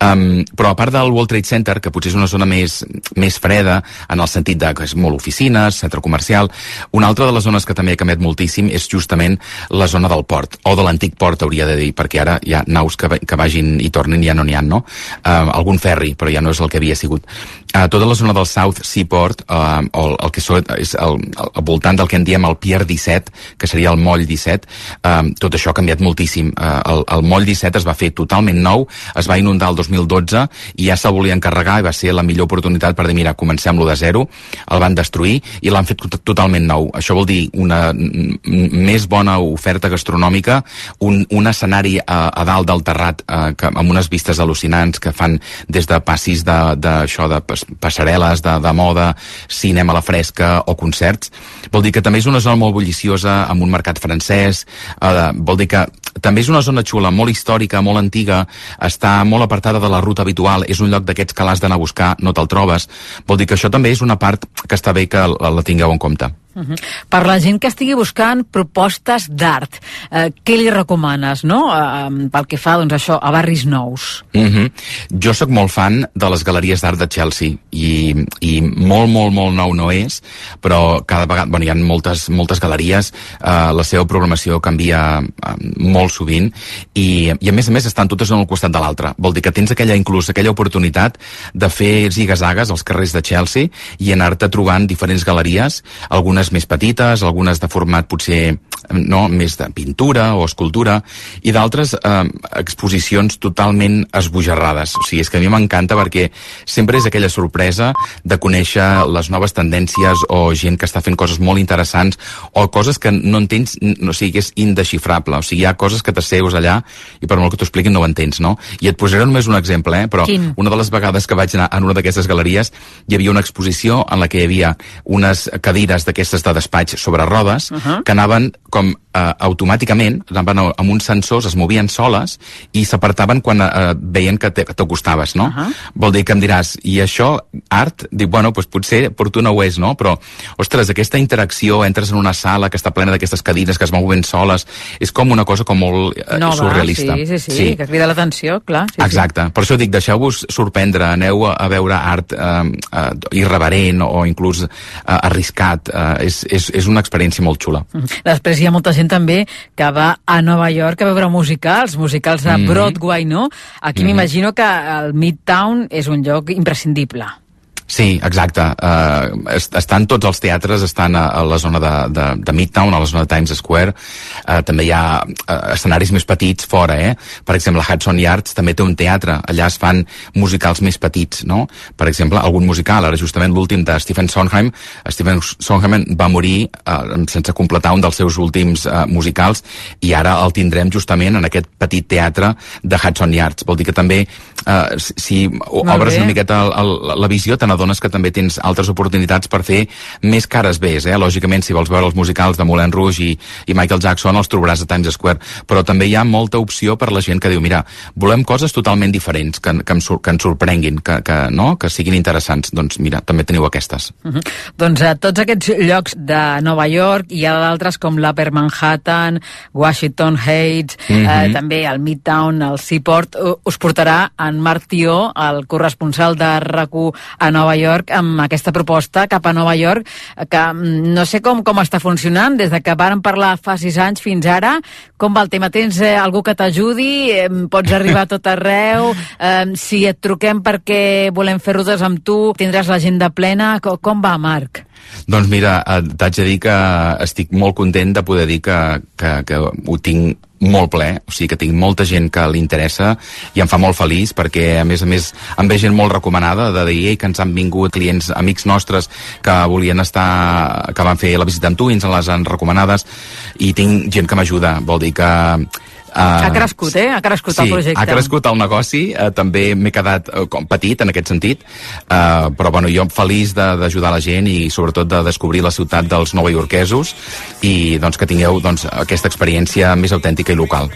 Um, però a part del World Trade Center, que potser és una zona més, més freda, en el sentit de que és molt oficines, centre comercial, una altra de les zones que també ha canviat moltíssim és justament la zona del port, o de l'antic port, hauria de dir, perquè ara hi ha naus que, que vagin i tornin, ja no n'hi ha, no? Uh, algun ferri, però ja no és el que havia sigut. a tota la zona del South Seaport, uh, o el, el que és al voltant del que en diem el Pier disset, que seria el moll disset, uh, tot això ha canviat moltíssim. Uh, el, el moll disset es va fer totalment nou, es va inundar el dos mil dotze i ja se'l volia encarregar i va ser la millor oportunitat per dir, mira, comencem-lo de zero, el van destruir i l'han fet totalment nou. Això vol dir una més bona oferta gastronòmica, un, un escenari a, a dalt del terrat uh, que, amb unes vistes al·lucinants que fan des de passis de, de, això, de passarel·les, de, de moda, cinema a la fresca o concerts. Vol dir que també és una zona molt bulliciosa, amb un mercat francès, eh, vol dir que també és una zona xula, molt històrica, molt antiga, està molt apartada de la ruta habitual, és un lloc d'aquests que l'has d'anar a buscar, no te'l trobes. Vol dir que això també és una part que està bé que la, la tingueu en compte. Uh-huh. Per la gent que estigui buscant propostes d'art, eh, què li recomanes, no? Eh, pel que fa, doncs, això, a barris nous. Uh-huh. Jo sóc molt fan de les galeries d'art de Chelsea i, i molt, molt, molt nou no és, però cada vegada, bueno, hi ha moltes, moltes galeries, eh, la seva programació canvia eh, molt sovint i, i a més a més estan totes en el costat de l'altre. Vol dir que tens aquella, inclús aquella oportunitat de fer zigazagues als carrers de Chelsea i anar-te trobant diferents galeries, algunes més petites, algunes de format potser no, més de pintura o escultura, i d'altres eh, exposicions totalment esbojarrades. O sigui, és que a mi m'encanta perquè sempre és aquella sorpresa de conèixer les noves tendències o gent que està fent coses molt interessants o coses que no entens, no, o sigui, que és indesxifrable. O sigui, hi ha coses que t'asseus allà i per molt que t'ho expliquin no ho entens, no? I et posaré només un exemple, eh? Però Quin? Una de les vegades que vaig anar en una d'aquestes galeries hi havia una exposició en la que hi havia unes cadires d'aquestes de despatx sobre rodes, uh-huh. que anaven com eh, automàticament, anaven amb uns sensors, es movien soles i s'apartaven quan eh, veien que t'acostaves, no? Uh-huh. Vol dir que em diràs, i això, art? Dic, bueno, doncs potser per tu no ho és, no? Però, ostres, aquesta interacció, entres en una sala que està plena d'aquestes cadires que es mouen soles, és com una cosa com molt eh, Nova, surrealista. Sí, sí, sí, sí, que crida l'atenció, clar. Sí, exacte, sí. Per això dic, deixeu-vos sorprendre, aneu a, a veure art eh, eh, irreverent o inclús eh, arriscat, eh, és, és, és una experiència molt xula. Després hi ha molta gent també que va a Nova York a veure musicals, musicals a Broadway, no? Aquí mm-hmm. m'imagino que el Midtown és un lloc imprescindible. Sí, exacte. Uh, est estan tots els teatres, estan a, a la zona de, de, de Midtown, a la zona de Times Square. Uh, també hi ha uh, escenaris més petits fora, eh? Per exemple, Hudson Yards també té un teatre. Allà es fan musicals més petits, no? Per exemple, algun musical. Ara, justament, l'últim de Stephen Sondheim. Stephen Sondheim va morir uh, sense completar un dels seus últims uh, musicals i ara el tindrem justament en aquest petit teatre de Hudson Yards. Vol dir que també, uh, si obres una miqueta el, el, la visió, te n'adones que també tens altres oportunitats per fer més cares bés, eh? Lògicament, si vols veure els musicals de Moulin Rouge i, i Michael Jackson, els trobaràs a Times Square, però també hi ha molta opció per la gent que diu, mira, volem coses totalment diferents, que, que, em, que ens sorprenguin, que, que, no? que siguin interessants. Doncs mira, també teniu aquestes. Uh-huh. Doncs a tots aquests llocs de Nova York hi ha d'altres com l'Upper Manhattan, Washington Heights, uh-huh. eh, també el Midtown, el Seaport. Us portarà en Marc Tió, el corresponsal de RAC u a Nova York, amb aquesta proposta cap a Nova York, que no sé com, com està funcionant, des de que vàrem parlar fa sis anys fins ara. Com va el tema? Tens eh, algú que t'ajudi? Eh, pots arribar a tot arreu? Eh, si et truquem perquè volem fer rutes amb tu, tindràs l'agenda plena? Com, com va, Marc? Doncs mira, t'haig de dir que estic molt content de poder dir que, que, que ho tinc molt ple, o sigui que tinc molta gent que li interessa i em fa molt feliç perquè a més a més em ve gent molt recomanada de dir que ens han vingut clients, amics nostres que volien estar, que van fer la visita amb tu i ens les han recomanades i tinc gent que m'ajuda, vol dir que Uh, ha crescut, eh? Ha crescut sí, el projecte. Ha crescut el negoci, uh, també m'he quedat uh, com petit en aquest sentit, uh, però bueno, jo feliç d'ajudar la gent i sobretot de descobrir la ciutat dels novaiorquesos i doncs que tingueu doncs, aquesta experiència més autèntica i local.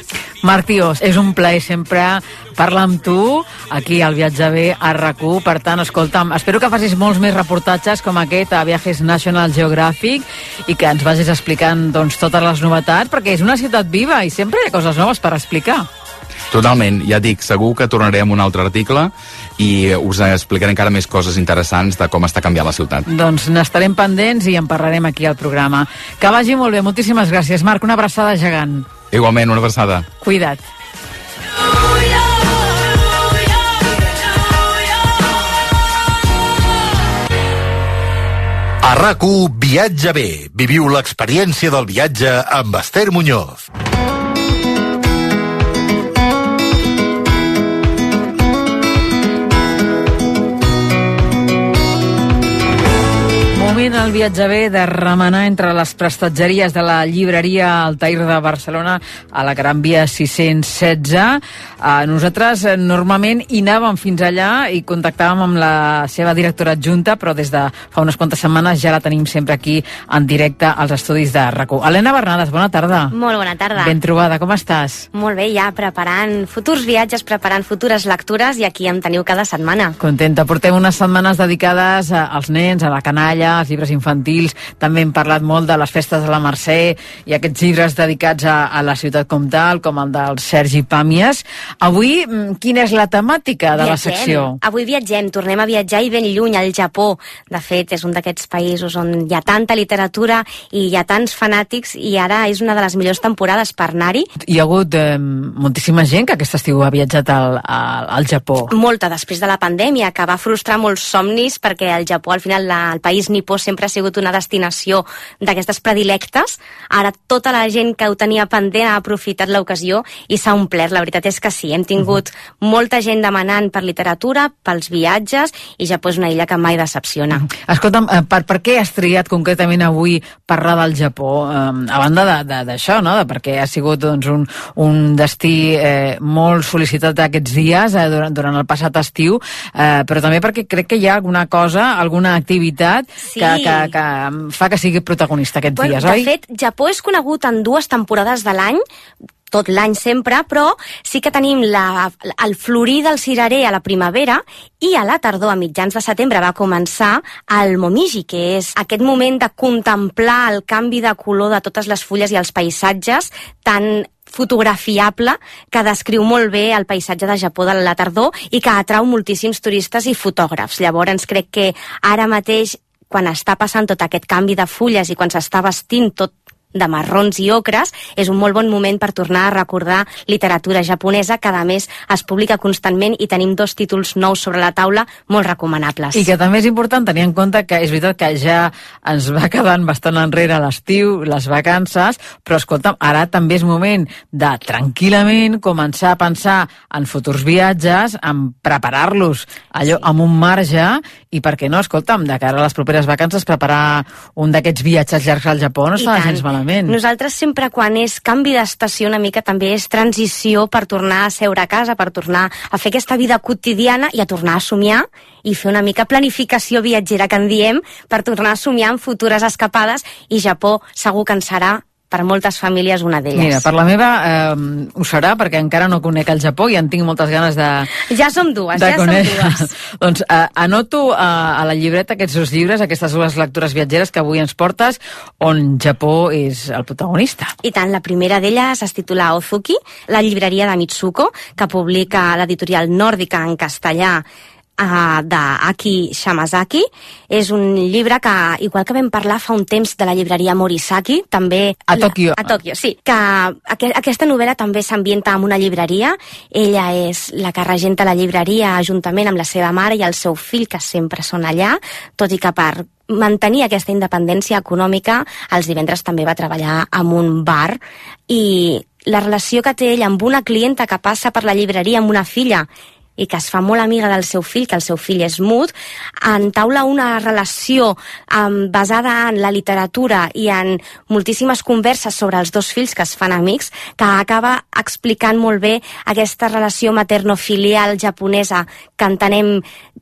Marc Tiós, és un plaer sempre parlar amb tu aquí al Viatge Bé a RAC u. Per tant, escolta'm, espero que facis molts més reportatges com aquest a Viajes National Geographic i que ens vagis explicant doncs, totes les novetats, perquè és una ciutat viva i sempre hi ha coses noves per explicar. Totalment, ja dic, segur que tornaré amb un altre article i us explicaré encara més coses interessants de com està canviant la ciutat. Doncs n'estarem pendents i en parlarem aquí al programa. Que vagi molt bé, moltíssimes gràcies. Marc, una abraçada gegant. Igualment, una abraçada. Cuida't. A RAC1 Viatge bé. Viviu l'experiència del viatge amb Esther Muñoz. Moment al viatge bé de remenar entre les prestatgeries de la llibreria Altair de Barcelona a la Gran Via sis-cents setze. Uh, nosaltres eh, normalment hi anàvem fins allà i contactàvem amb la seva directora adjunta, però des de fa unes quantes setmanes ja la tenim sempre aquí en directe als estudis de RAC1. Helena Bernades, bona tarda. Molt bona tarda. Ben trobada, com estàs? Molt bé, ja preparant futurs viatges, preparant futures lectures, i aquí em teniu cada setmana. Contenta. Portem unes setmanes dedicades als nens, a la canalla, als llibres infantils. També hem parlat molt de les festes de la Mercè i aquests llibres dedicats a, a la ciutat com tal, com el del Sergi Pàmies. Avui, quina és la temàtica de viatgem. la secció? Avui viatgem, tornem a viatjar i ben lluny, al Japó. De fet, és un d'aquests països on hi ha tanta literatura i hi ha tants fanàtics, i ara és una de les millors temporades per anar-hi. Hi ha hagut eh, moltíssima gent que aquest estiu ha viatjat al, al, al Japó. Molta, després de la pandèmia, que va frustrar molts somnis, perquè el Japó, al final, la, el país nipó sempre ha sigut una destinació d'aquestes predilectes. Ara tota la gent que ho tenia pendent ha aprofitat l'ocasió i s'ha omplert. La veritat és que sí, hem tingut uh-huh. molta gent demanant per literatura, pels viatges, i Japó és una illa que mai decepciona. Uh-huh. Escolta'm, per, per què has triat concretament avui parlar del Japó? Um, a banda d'això, no? De perquè ha sigut doncs, un, un destí eh, molt sol·licitat aquests dies, eh, durant, durant el passat estiu, eh, però també perquè crec que hi ha alguna cosa, alguna activitat sí. que, que, que fa que sigui protagonista aquests bueno, dies, de oi? De fet, Japó és conegut en dues temporades de l'any, tot l'any sempre, però sí que tenim la, el florir del cirerer a la primavera, i a la tardor, a mitjans de setembre, va començar el momiji, que és aquest moment de contemplar el canvi de color de totes les fulles i els paisatges tan fotografiable, que descriu molt bé el paisatge de Japó de la tardor i que atrau moltíssims turistes i fotògrafs. Llavors crec que ara mateix, quan està passant tot aquest canvi de fulles i quan s'està vestint tot de marrons i ocres, és un molt bon moment per tornar a recordar literatura japonesa, que a més es publica constantment, i tenim dos títols nous sobre la taula molt recomanables. I que també és important tenir en compte que és veritat que ja ens va quedant bastant enrere l'estiu, les vacances, però escolta'm, ara també és moment de tranquil·lament començar a pensar en futurs viatges, en preparar-los allò sí. amb un marge, i per què no, escolta'm, de cara a les properes vacances preparar un d'aquests viatges llargs al Japó no està gens malament. Nosaltres sempre, quan és canvi d'estació, una mica també és transició per tornar a seure a casa, per tornar a fer aquesta vida quotidiana i a tornar a somiar i fer una mica planificació viatgera, que en diem, per tornar a somiar en futures escapades, i Japó segur que en serà per moltes famílies una d'elles. Mira, per la meva eh, ho serà, perquè encara no conec el Japó i en tinc moltes ganes de... Ja som dues, ja conèixer. som dues. Doncs eh, anoto eh, a la llibreta aquests dos llibres, aquestes dues lectures viatgeres que avui ens portes, on Japó és el protagonista. I tant, la primera d'elles es titula Ozuki, la llibreria de Mitsuko, que publica l'editorial Nòrdica en castellà, Uh, d'Aki Shamazaki. És un llibre que, igual que vam parlar fa un temps de la llibreria Morisaki, també... A Tòquio. A Tòquio, sí. Que aqu aquesta novel·la també s'ambienta en una llibreria. Ella és la que regenta la llibreria juntament amb la seva mare i el seu fill, que sempre són allà, tot i que per mantenir aquesta independència econòmica, els divendres també va treballar en un bar, i la relació que té ell amb una clienta que passa per la llibreria amb una filla i que es fa molt amiga del seu fill, que el seu fill és mut, entaula una relació um, basada en la literatura i en moltíssimes converses sobre els dos fills que es fan amics, que acaba explicant molt bé aquesta relació materno-filial japonesa que entenem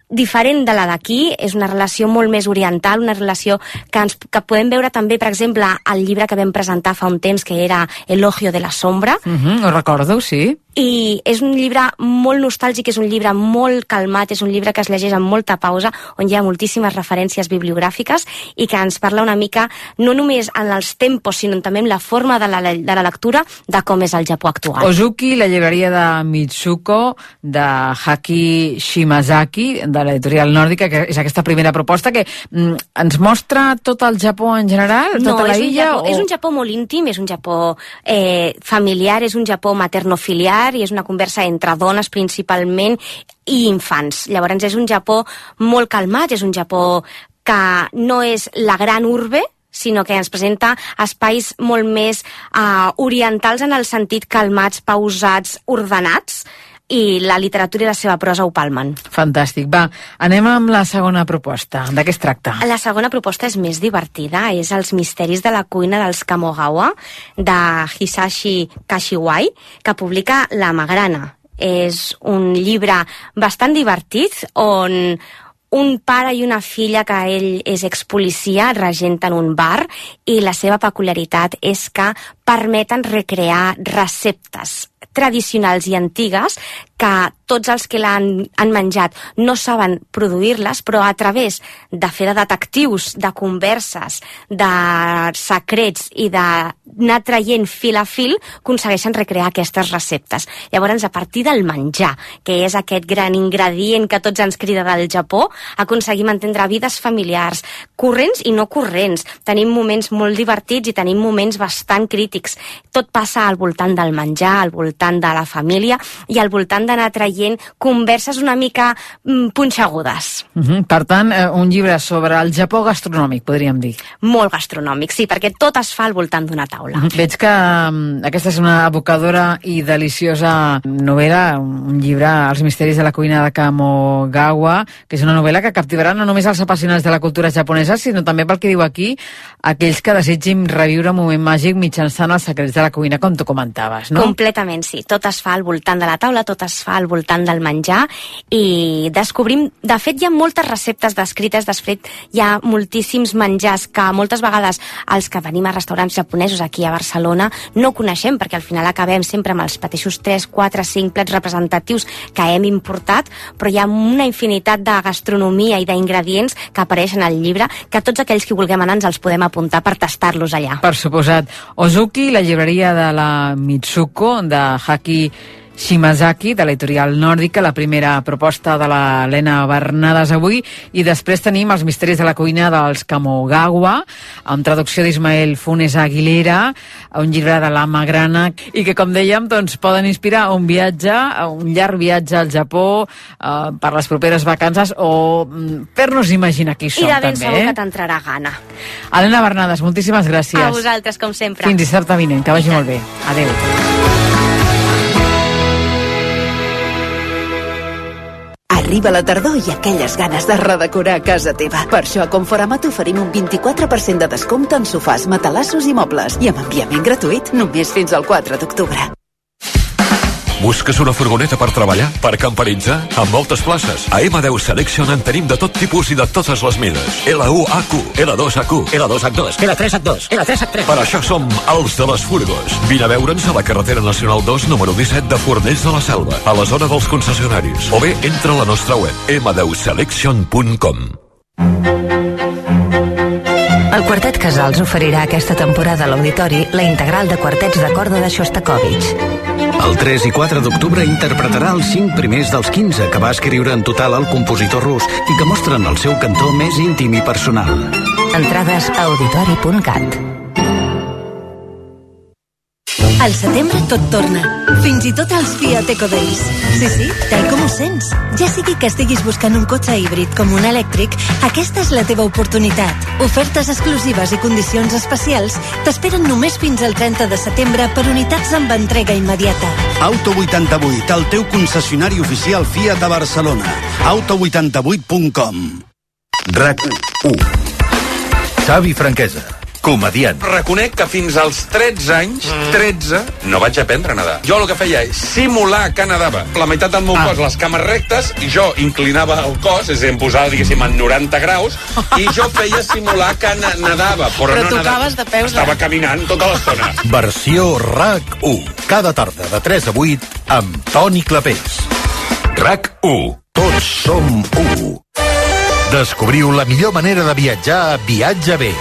diferent de la d'aquí. És una relació molt més oriental, una relació que, ens, que podem veure també, per exemple, al llibre que vam presentar fa un temps, que era Elogio de la sombra. Uh-huh, ho recordo, sí. I és un llibre molt nostàlgic, és un llibre molt calmat, és un llibre que es llegeix amb molta pausa, on hi ha moltíssimes referències bibliogràfiques i que ens parla una mica, no només en els tempos, sinó també en la forma de la, de la lectura, de com és el Japó actual. Ozuki, la llibreria de Mitsuko, de Haki Shimazaki, de l'editorial Nòrdica, que és aquesta primera proposta que mm, ens mostra tot el Japó en general, no, tota la és illa? Japó, o... és un Japó molt íntim, és un Japó eh, familiar, és un Japó materno-filiar, i és una conversa entre dones principalment i infants. Llavors és un Japó molt calmat, és un Japó que no és la gran urbe, sinó que ens presenta espais molt més uh, orientals en el sentit calmats, pausats, ordenats, i la literatura i la seva prosa ho palmen. Fantàstic. Va, anem amb la segona proposta. De què es tracta? La segona proposta és més divertida, és Els misteris de la cuina dels Kamogawa, de Hisashi Kashiwai, que publica La Magrana. És un llibre bastant divertit, on un pare i una filla, que ell és expolicia, regenten un bar, i la seva peculiaritat és que permeten recrear receptes tradicionals i antigues que tots els que l'han han menjat no saben produir-les, però a través de fer de detectius, de converses, de secrets i d'anar traient fil a fil, aconsegueixen recrear aquestes receptes. Llavors, a partir del menjar, que és aquest gran ingredient que tots ens crida del Japó, aconseguim entendre vides familiars, corrents i no corrents. Tenim moments molt divertits i tenim moments bastant crítics. Tot passa al voltant del menjar, al voltant de la família i al voltant d'anar traient converses una mica mm, punxegudes. Uh -huh. Per tant, eh, un llibre sobre el Japó gastronòmic, podríem dir. Molt gastronòmic, sí, perquè tot es fa al voltant d'una taula. Uh -huh. Veig que um, aquesta és una evocadora i deliciosa novel·la, un llibre, Els misteris de la cuina de Kamogawa, que és una novel·la que captivarà no només els apassionats de la cultura japonesa, sinó també, pel que diu aquí, aquells que desitgin reviure un moment màgic mitjançant els secrets de la cuina, com tu comentaves, no? Completament, sí. Tot es fa al voltant de la taula, tot es fa al voltant del menjar, i descobrim... De fet, hi ha moltes receptes descrites, després hi ha moltíssims menjars que moltes vegades els que venim a restaurants japonesos aquí a Barcelona no coneixem, perquè al final acabem sempre amb els mateixos tres, quatre, cinc plats representatius que hem importat, però hi ha una infinitat de gastronomia i d'ingredients que apareixen al llibre, que tots aquells que vulguem anar ens els podem apuntar per tastar-los allà. Per suposat. Ozuki, la llibreria de la Mitsuko, de Haki Shimazaki, de l'editorial nòrdica, la primera proposta de l'Helena Bernades avui, i després tenim Els misteris de la cuina dels Kamogawa, amb traducció d'Ismael Funes Aguilera, un llibre de La Magrana, i que, com dèiem, doncs, poden inspirar un viatge, un llarg viatge al Japó, eh, per les properes vacances, o mm, fer-nos imaginar qui som, I de ben també. segur eh? que t'entrarà gana. Helena Bernades, moltíssimes gràcies. A vosaltres, com sempre. Fins dissabte vinent, que vagi molt bé. Adéu. Arriba la tardor i aquelles ganes de redecorar casa teva. Per això a Conforama t'oferim un vint-i-quatre per cent de descompte en sofàs, matalassos i mobles, i amb enviament gratuït només fins al quatre d'octubre. Busques una furgoneta per treballar? Per camperitzar? Amb moltes places. A ema deu Selection en tenim de tot tipus i de totes les mides. L u A Q, L dos A Q, L dos H dos, L tres H dos, L tres H tres. Per això som els de les furgos. Vine a veure'ns a la carretera nacional dos, número disset de Fornells de la Selva, a la zona dels concessionaris. O bé, entra a la nostra web, ema deu selection punt com. El Quartet Casals oferirà aquesta temporada a l'Auditori la integral de quartets de corda de Shostakovich. El tres i quatre d'octubre interpretarà els cinc primers dels quinze que va escriure en total el compositor rus i que mostren el seu cantó més íntim i personal. Entrades a auditori punt cat. Al setembre tot torna, fins i tot els Fiat Eco Days. Sí, sí, tal com ho sents. Ja sigui que estiguis buscant un cotxe híbrid com un elèctric, aquesta és la teva oportunitat. Ofertes exclusives i condicions especials t'esperen només fins al trenta de setembre per unitats amb entrega immediata. Auto vuitanta-vuit, el teu concessionari oficial Fiat a Barcelona. auto vuitanta vuit punt com. RAC u. Xavi Franquesa, comediant. Reconec que fins als tretze anys, tretze, no vaig aprendre a nedar. Jo el que feia és simular que nedava. La meitat del meu ah. cos, les cames rectes, i jo inclinava el cos, és a dir, em posava, diguéssim, en noranta graus, i jo feia simular que nedava, però, però no tocaves nedava. De peus. Estava caminant tota l'estona. Versió RAC u. Cada tarda de tres a vuit amb Toni Clapés. RAC u. Tots som u. Descobriu la millor manera de viatjar a Viatge Bé.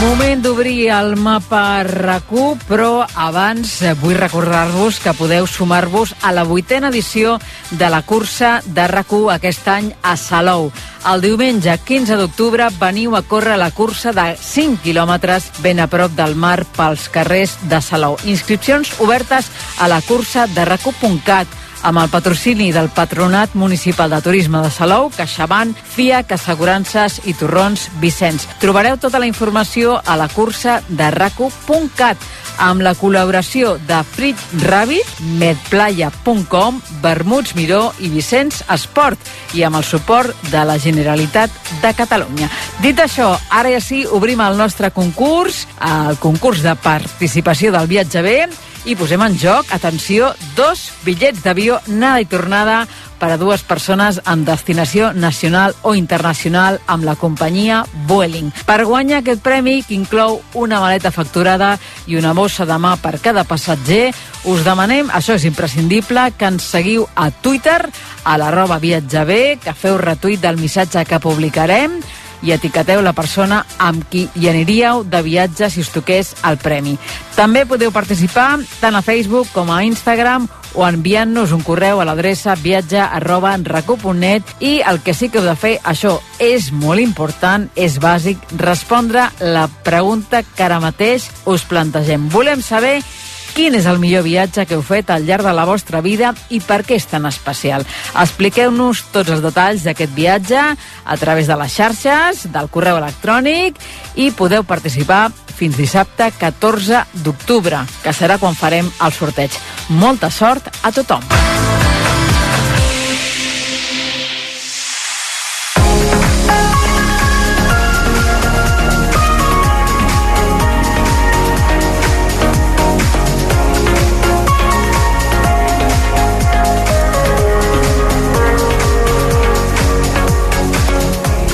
Moment d'obrir d'obrir el mapa RAC u, però abans vull recordar-vos que podeu sumar-vos a la vuitena edició de la cursa de RAC u aquest any a Salou. El diumenge quinze d'octubre veniu a córrer la cursa de cinc quilòmetres ben a prop del mar pels carrers de Salou. Inscripcions obertes a la cursa de rac u punt cat amb el patrocini del Patronat Municipal de Turisme de Salou, CaixaBank, FIAC, Assegurances i Torrons Vicenç. Trobareu tota la informació a la cursa de rac u punt cat amb la col·laboració de Frit Rabbit, medplaya punt com, Vermuts Miró i Vicenç Esport i amb el suport de la Generalitat de Catalunya. Dit això, ara ja sí, obrim el nostre concurs, el concurs de participació del Viatge B, i posem en joc, atenció, dos bitllets d'avió anada i tornada per a dues persones en destinació nacional o internacional amb la companyia Vueling. Per guanyar aquest premi, que inclou una maleta facturada i una bossa de mà per cada passatger, us demanem, això és imprescindible, que ens seguiu a Twitter, a l'arroba viatjab, que feu retuit del missatge que publicarem, i etiqueteu la persona amb qui hi aniríeu de viatge si us toqués el premi. També podeu participar tant a Facebook com a Instagram o enviant-nos un correu a l'adreça viatge arroba rac u punt net i el que sí que heu de fer, això és molt important, és bàsic, respondre la pregunta que ara mateix us plantegem. Volem saber quin és el millor viatge que heu fet al llarg de la vostra vida i per què és tan especial. Expliqueu-nos tots els detalls d'aquest viatge a través de les xarxes, del correu electrònic, i podeu participar fins dissabte catorze d'octubre, que serà quan farem el sorteig. Molta sort a tothom!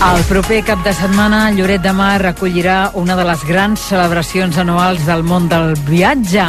El proper cap de setmana, Lloret de Mar acollirà una de les grans celebracions anuals del món del viatge.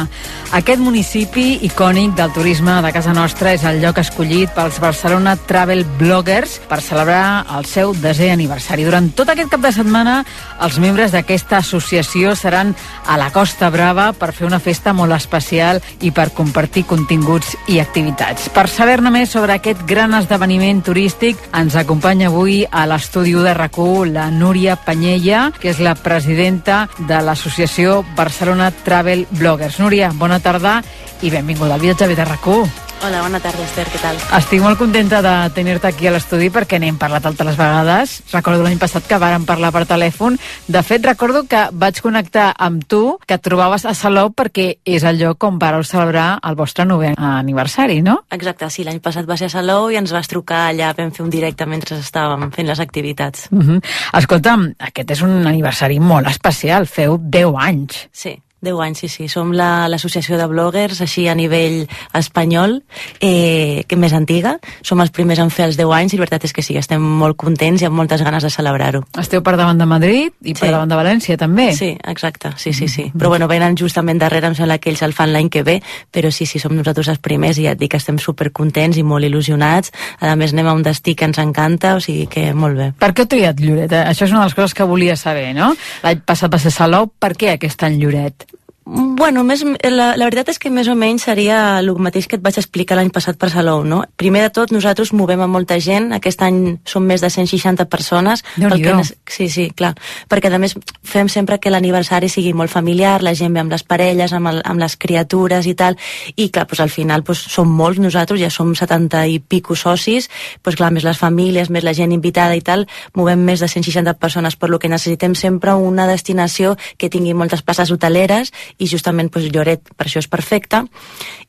Aquest municipi icònic del turisme de casa nostra és el lloc escollit pels Barcelona Travel Bloggers per celebrar el seu desè aniversari. Durant tot aquest cap de setmana, els membres d'aquesta associació seran a la Costa Brava per fer una festa molt especial i per compartir continguts i activitats. Per saber-ne més sobre aquest gran esdeveniment turístic, ens acompanya avui a l'estudi de RAC u la Núria Panyella, que és la presidenta de l'associació Barcelona Travel Bloggers. Núria, bona tarda i benvinguda al Viatge de RAC u. Hola, bona tarda, Esther, què tal? Estic molt contenta de tenir-te aquí a l'estudi perquè n'hem parlat altres vegades. Recordo l'any passat que vàrem parlar per telèfon. De fet, recordo que vaig connectar amb tu, que et trobaves a Salou perquè és el lloc on vareu celebrar el vostre novè aniversari, no? Exacte, sí, l'any passat va ser a Salou i ens vas trucar allà, vam fer un directe mentre estàvem fent les activitats. Uh-huh. Escolta'm, aquest és un aniversari molt especial, feu deu anys. Sí. deu anys, sí, sí. Som l'associació la, de bloggers, així a nivell espanyol, eh, que més antiga. Som els primers en fer els deu anys i la veritat és que sí, estem molt contents i amb moltes ganes de celebrar-ho. Esteu per davant de Madrid i per sí. davant de València, també? Sí, exacte, sí, sí, sí. Però bueno, venen justament darrere, em sembla que ells el fan l'any que ve, però sí, sí, som nosaltres els primers i ja et dic que estem supercontents i molt il·lusionats. A més, anem a un destí que ens encanta, o sigui que molt bé. Per què heu triat Lloret? Això és una de les coses que volia saber, no? L'any passat va ser Salou, per què aquest any Lloret? Bueno, més, la, la veritat és que més o menys seria el mateix que et vaig explicar l'any passat per Salou, no? Primer de tot, nosaltres movem a molta gent, aquest any som més de cent seixanta persones. Pel que, sí, sí, clar, perquè a més fem sempre que l'aniversari sigui molt familiar, la gent ve amb les parelles, amb, el, amb les criatures i tal, i clar, doncs, al final doncs, som molts nosaltres, ja som setanta i pico socis, doncs clar, més les famílies, més la gent invitada i tal, movem més de cent seixanta persones, per lo que necessitem sempre una destinació que tingui moltes places hoteleres i justament doncs, Lloret per això és perfecte.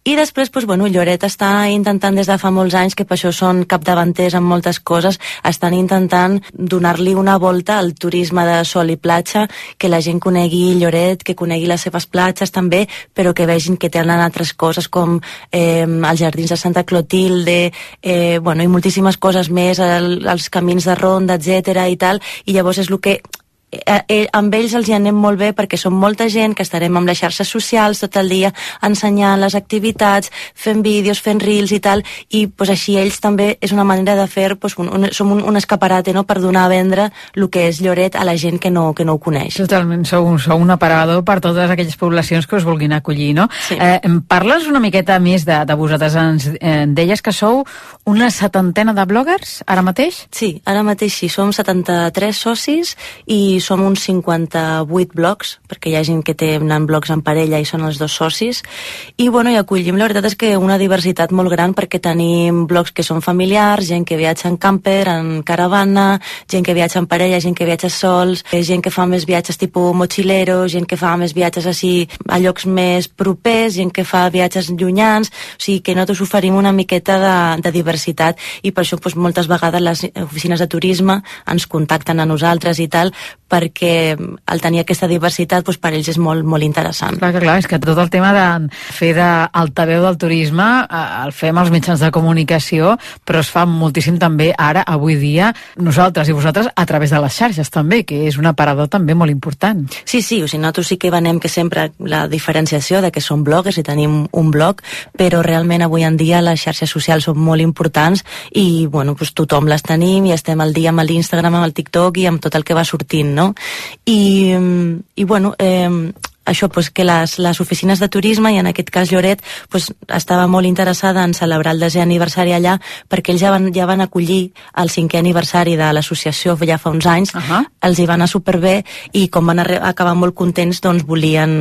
I després doncs, bueno, Lloret està intentant des de fa molts anys, que per això són capdavanters en moltes coses, estan intentant donar-li una volta al turisme de sol i platja, que la gent conegui Lloret, que conegui les seves platges també, però que vegin que tenen altres coses com eh, els jardins de Santa Clotilde, eh, bueno, i moltíssimes coses més, el, els camins de ronda, etcètera i tal, i llavors és el que eh, amb ells els hi anem molt bé perquè som molta gent que estarem amb les xarxes socials tot el dia ensenyant les activitats, fent vídeos, fent reels i tal, i pues, així ells també és una manera de fer, pues, un, un, som un, un escaparate, no?, per donar a vendre el que és Lloret a la gent que no, que no ho coneix. Totalment, sou, sou un aparador per totes aquelles poblacions que us vulguin acollir, no? Sí. Eh, em parles una miqueta més de, de vosaltres. Ens eh, deies que sou una setantena de bloggers, ara mateix? Sí, ara mateix sí, som setanta-tres socis i som uns cinquanta-vuit blogs, perquè hi ha gent que tenen blogs en parella i són els dos socis, i bueno, i acollim, la veritat és que una diversitat molt gran, perquè tenim blogs que són familiars, gent que viatja en camper, en caravana, gent que viatja en parella, gent que viatja sols, gent que fa més viatges tipus mochilero, gent que fa més viatges així a llocs més propers, gent que fa viatges llunyans, o sigui que nosaltres oferim una miqueta de, de diversitat, i per això doncs, moltes vegades les oficines de turisme ens contacten a nosaltres i tal, perquè al tenir aquesta diversitat doncs, per ells és molt, molt interessant. Clar, clar, és que tot el tema de fer d'altaveu del turisme el fem als mitjans de comunicació, però es fa moltíssim també ara, avui dia, nosaltres i vosaltres a través de les xarxes també, que és un aparador també molt important. Sí, sí, o sigui, nosaltres sí que venem que sempre la diferenciació de que som bloggers i tenim un blog, però realment avui en dia les xarxes socials són molt importants i bueno, doncs tothom les tenim i estem al dia amb l'Instagram, amb el TikTok i amb tot el que va sortint, no? I, i bueno, eh, això, pues, que les, les oficines de turisme, i en aquest cas Lloret, pues, estava molt interessada en celebrar el desè aniversari allà, perquè ells ja van, ja van acollir el cinquè aniversari de l'associació ja fa uns anys, uh-huh. Els hi va anar superbé, i com van acabar molt contents, doncs volien,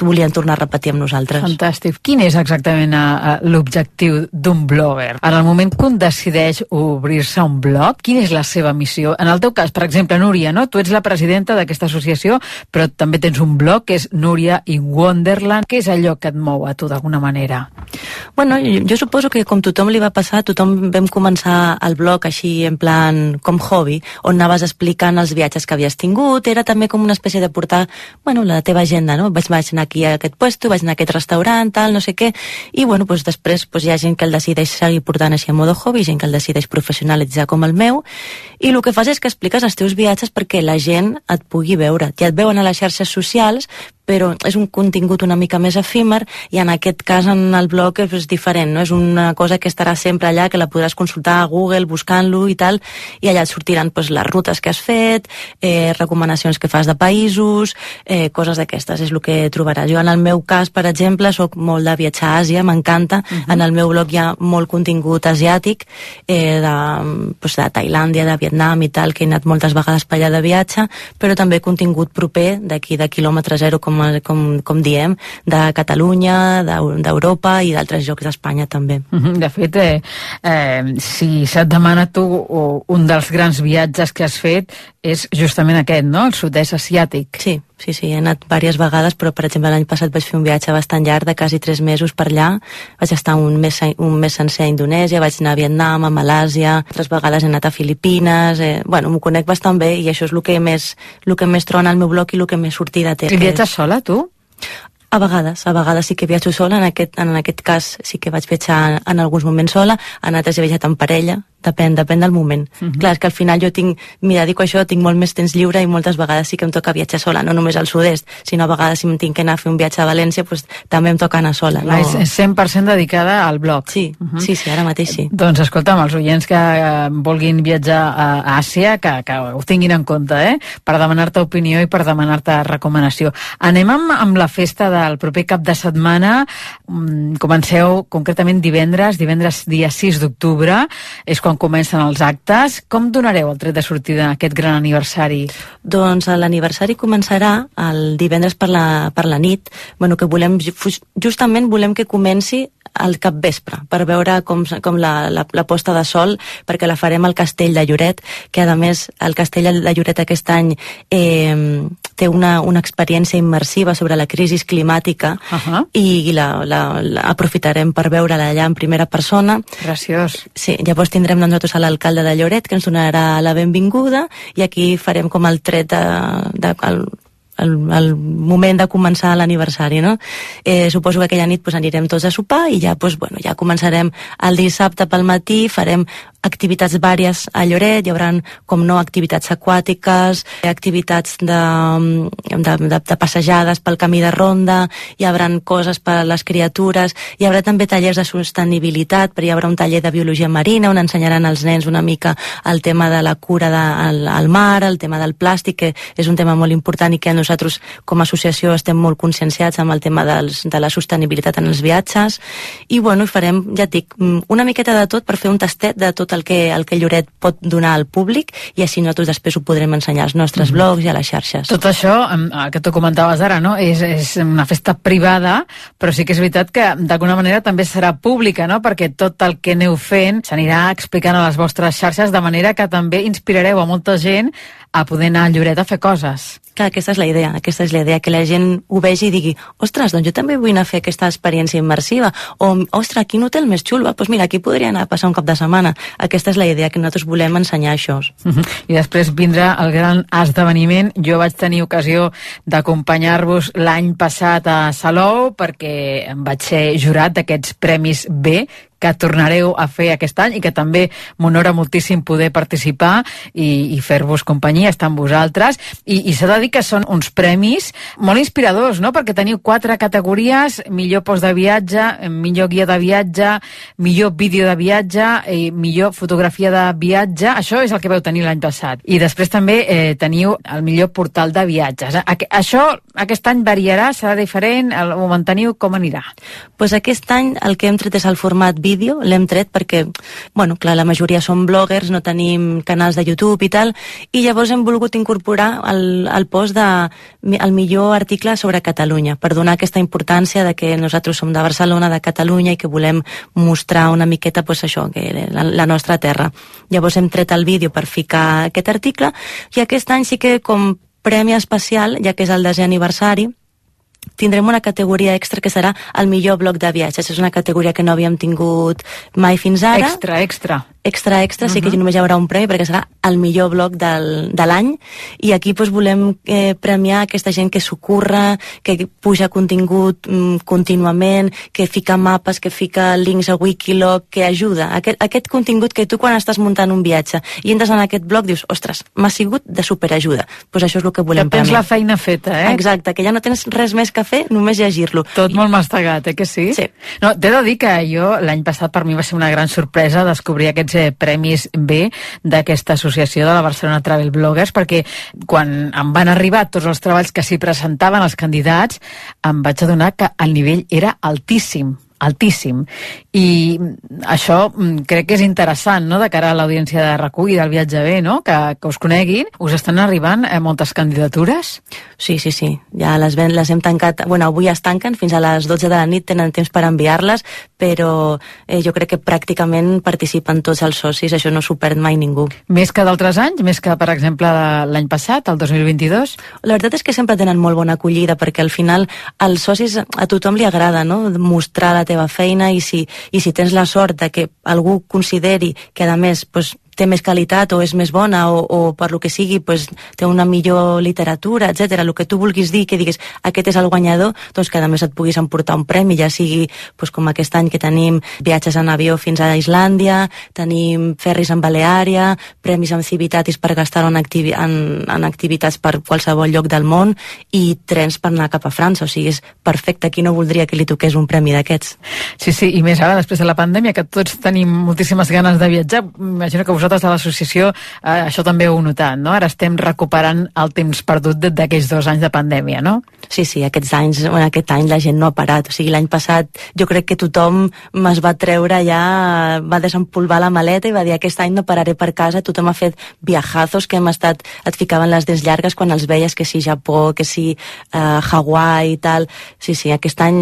volien tornar a repetir amb nosaltres. Fantàstic. Quin és exactament uh, l'objectiu d'un blogger? En el moment que un decideix obrir-se un blog, quina és la seva missió? En el teu cas, per exemple, Núria, no? Tu ets la presidenta d'aquesta associació, però també tens un blog que és Núria in Wonderland. Què és allò que et mou a tu d'alguna manera? Bueno, jo, jo suposo que com tothom li va passar, tothom vam començar el blog així en plan com hobby, on anaves explicant els viatges que havies tingut, era també com una espècie de portar, bueno, la teva agenda, no? Vaig, vaig anar aquí a aquest puesto, vaig anar a aquest restaurant, tal, no sé què, i bueno, doncs després doncs hi ha gent que el decideix seguir portant així a modo hobby, gent que el decideix professionalitzar com el meu, i el que fas és que expliques els teus viatges perquè la gent et pugui veure. Ja et veuen a les xarxes socials, però és un contingut una mica més efímer, i en aquest cas en el blog és diferent, no? És una cosa que estarà sempre allà, que la podràs consultar a Google buscant-lo i tal, i allà et sortiran pues, les rutes que has fet, eh, recomanacions que fas de països, eh, coses d'aquestes, és el que trobaràs. Jo en el meu cas, per exemple, soc molt de viatjar a Àsia, m'encanta, uh-huh. En el meu blog hi ha molt contingut asiàtic, eh, de, pues, de Tailàndia, de Vietnam i tal, que he anat moltes vegades per allà de viatge, però també contingut proper, d'aquí de quilòmetre zero, com Com, com diem, de Catalunya, d'Europa i d'altres llocs d'Espanya també. De fet, eh, eh, si se't demana tu un dels grans viatges que has fet és justament aquest, no? El sud-est asiàtic. Sí, sí, sí, he anat diverses vegades, però per exemple l'any passat vaig fer un viatge bastant llarg de quasi tres mesos per allà, vaig estar un mes, un mes sencer a Indonèsia, vaig anar a Vietnam, a Malàsia, altres vegades he anat a Filipines, eh, bueno, m'ho conec bastant bé i això és el que més, el que més trona al meu blog i el que més sortida té. I viatges sola, tu? A vegades, a vegades sí que viatjo sola, en aquest, en aquest cas sí que vaig viatjar en alguns moments sola, en altres he viatjat en parella, depèn, depèn del moment. Uh-huh. Clar, és que al final jo tinc, m'hi dedico a això, tinc molt més temps lliure i moltes vegades sí que em toca viatjar sola, no només al sud-est, sinó a vegades si em tinc que anar a fer un viatge a València, doncs també em toca anar sola. No? És cent per cent dedicada al blog. Sí, uh-huh. sí, sí, ara mateix sí. Doncs escolta'm, els oients que eh, vulguin viatjar a Àsia, que, que ho tinguin en compte, eh? Per demanar-te opinió i per demanar-te recomanació. Anem amb, amb la festa del proper cap de setmana. Comenceu concretament divendres, divendres dia sis d'octubre, és quan comencen els actes. Com donareu el tret de sortida d'aquest gran aniversari? Doncs l'aniversari començarà el divendres per la, per la nit. Bueno, que volem, justament volem que comenci al capvespre, per veure com, com la, la, la posta de sol, perquè la farem al Castell de Lloret, que a més el Castell de Lloret aquest any eh, té una, una experiència immersiva sobre la crisi climàtica, uh-huh. i la, la, la aprofitarem per veure-la allà en primera persona. Graciós. Sí, llavors tindrem nosaltres a l'alcalde de Lloret, que ens donarà la benvinguda, i aquí farem com el tret de... de el, El, el moment de començar l'aniversari, no? Eh, suposo que aquella nit pues, anirem tots a sopar i ja, pues, bueno, ja començarem el dissabte pel matí, farem activitats vàries a Lloret, hi haurà, com no, activitats aquàtiques, activitats de, de, de, de passejades pel camí de ronda, hi haurà coses per a les criatures, hi haurà també tallers de sostenibilitat, però hi haurà un taller de biologia marina on ensenyaran als nens una mica el tema de la cura de, al, al mar, el tema del plàstic, que és un tema molt important i que nosaltres com a associació estem molt conscienciats amb el tema dels, de la sostenibilitat en els viatges, i bueno, farem, ja et dic, una miqueta de tot per fer un tastet de tot el que, el que Lloret pot donar al públic, i així nosaltres després ho podrem ensenyar als nostres mm-hmm. blogs i a les xarxes. Tot això, que tu comentaves ara, no? és, és una festa privada, però sí que és veritat que d'alguna manera també serà pública, no? Perquè tot el que aneu fent s'anirà explicant a les vostres xarxes, de manera que també inspirareu a molta gent a poder anar a Lloret a fer coses. Clar, aquesta és la idea, aquesta és la idea, que la gent ho vegi i digui, ostres, doncs jo també vull anar a fer aquesta experiència immersiva, o, ostres, quin hotel més xulo, doncs mira, aquí podria anar a passar un cap de setmana. Aquesta és la idea, que nosaltres volem ensenyar això. Uh-huh. I després vindrà el gran esdeveniment. Jo vaig tenir ocasió d'acompanyar-vos l'any passat a Salou, perquè em vaig ser jurat d'aquests Premis B, que tornareu a fer aquest any i que també m'honora moltíssim poder participar i, i fer-vos companyia, estar amb vosaltres. I, i s'ha de dir que són uns premis molt inspiradors, no? Perquè teniu quatre categories: millor post de viatge, millor guia de viatge, millor vídeo de viatge i millor fotografia de viatge. Això és el que vau tenir l'any passat. I després també eh, teniu el millor portal de viatges. A, això aquest any variarà, serà diferent, el, ho manteniu, com anirà? Pues aquest any el que hem tret és el format vídeo, l'hem tret perquè, bueno, clar, la majoria són bloggers, no tenim canals de YouTube i tal, i llavors hem volgut incorporar el, el post de el millor article sobre Catalunya, per donar aquesta importància de que nosaltres som de Barcelona, de Catalunya, i que volem mostrar una miqueta, pues això, que la, la nostra terra. Llavors hem tret el vídeo per ficar aquest article, i aquest any sí que com premi especial, ja que és el desè aniversari, tindrem una categoria extra que serà el millor blog de viatges. És una categoria que no havíem tingut mai fins ara. Extra, extra. Extra, extra, uh-huh. Sí que només hi haurà un premi perquè serà el millor blog del, de l'any, i aquí doncs, volem eh, premiar aquesta gent que s'ocorre, que puja contingut mm, contínuament, que fica mapes, que fica links a Wikiloc, que ajuda. Aquest, aquest contingut que tu quan estàs muntant un viatge i entres en aquest blog dius, ostres, m'ha sigut de superajuda. Doncs pues això és el que volem premiar. Que tens premiar. la feina feta, eh? Exacte, que ja no tens res més que fer, només llegir-lo. Tot molt mastegat, eh, que sí? Sí. No, t'he de dir que jo l'any passat per mi va ser una gran sorpresa descobrir aquests eh, Premis B d'aquesta associació de la Barcelona Travel Bloggers, perquè quan em van arribar tots els treballs que s'hi presentaven els candidats, em vaig adonar que el nivell era altíssim. altíssim. I això crec que és interessant, no?, de cara a l'audiència de RAC u i del Viatge B, no?, que, que us coneguin. Us estan arribant eh, moltes candidatures? Sí, sí, sí. Ja les, ven, les hem tancat. Bueno, avui es tanquen, fins a les dotze de la nit tenen temps per enviar-les, però eh, jo crec que pràcticament participen tots els socis, això no s'ho perd mai ningú. Més que d'altres anys? Més que, per exemple, l'any passat, el dos mil vint-i-dos? La veritat és que sempre tenen molt bona acollida, perquè al final als socis a tothom li agrada, no?, mostrar la teva feina, i si, i si tens la sort de que algú consideri que a més pues, té més qualitat o és més bona o, o per lo que sigui pues, té una millor literatura, etcètera, el que tu vulguis dir, que diguis aquest és el guanyador, doncs que a més et puguis emportar un premi, ja sigui pues, com aquest any que tenim viatges en avió fins a Islàndia, tenim ferris en Baleària, premis amb Civitatis per gastar en, activi en, en activitats per qualsevol lloc del món, i trens per anar cap a França, o sigui, és perfecte, qui no voldria que li toqués un premi d'aquests? Sí, sí, i més ara, després de la pandèmia, que tots tenim moltíssimes ganes de viatjar, imagino que vosaltres de l'associació eh, això també ho heu notat, no? Ara estem recuperant el temps perdut d'aquells dos anys de pandèmia, no? Sí, sí, aquests anys, bueno, aquest any la gent no ha parat, o sigui, l'any passat jo crec que tothom es va treure ja, va desempolvar la maleta i va dir aquest any no pararé per casa, tothom ha fet viajazos que hem estat, et ficaven les dents llargues quan els veies, que si Japó, que si eh, Hawaii i tal, sí, sí, aquest any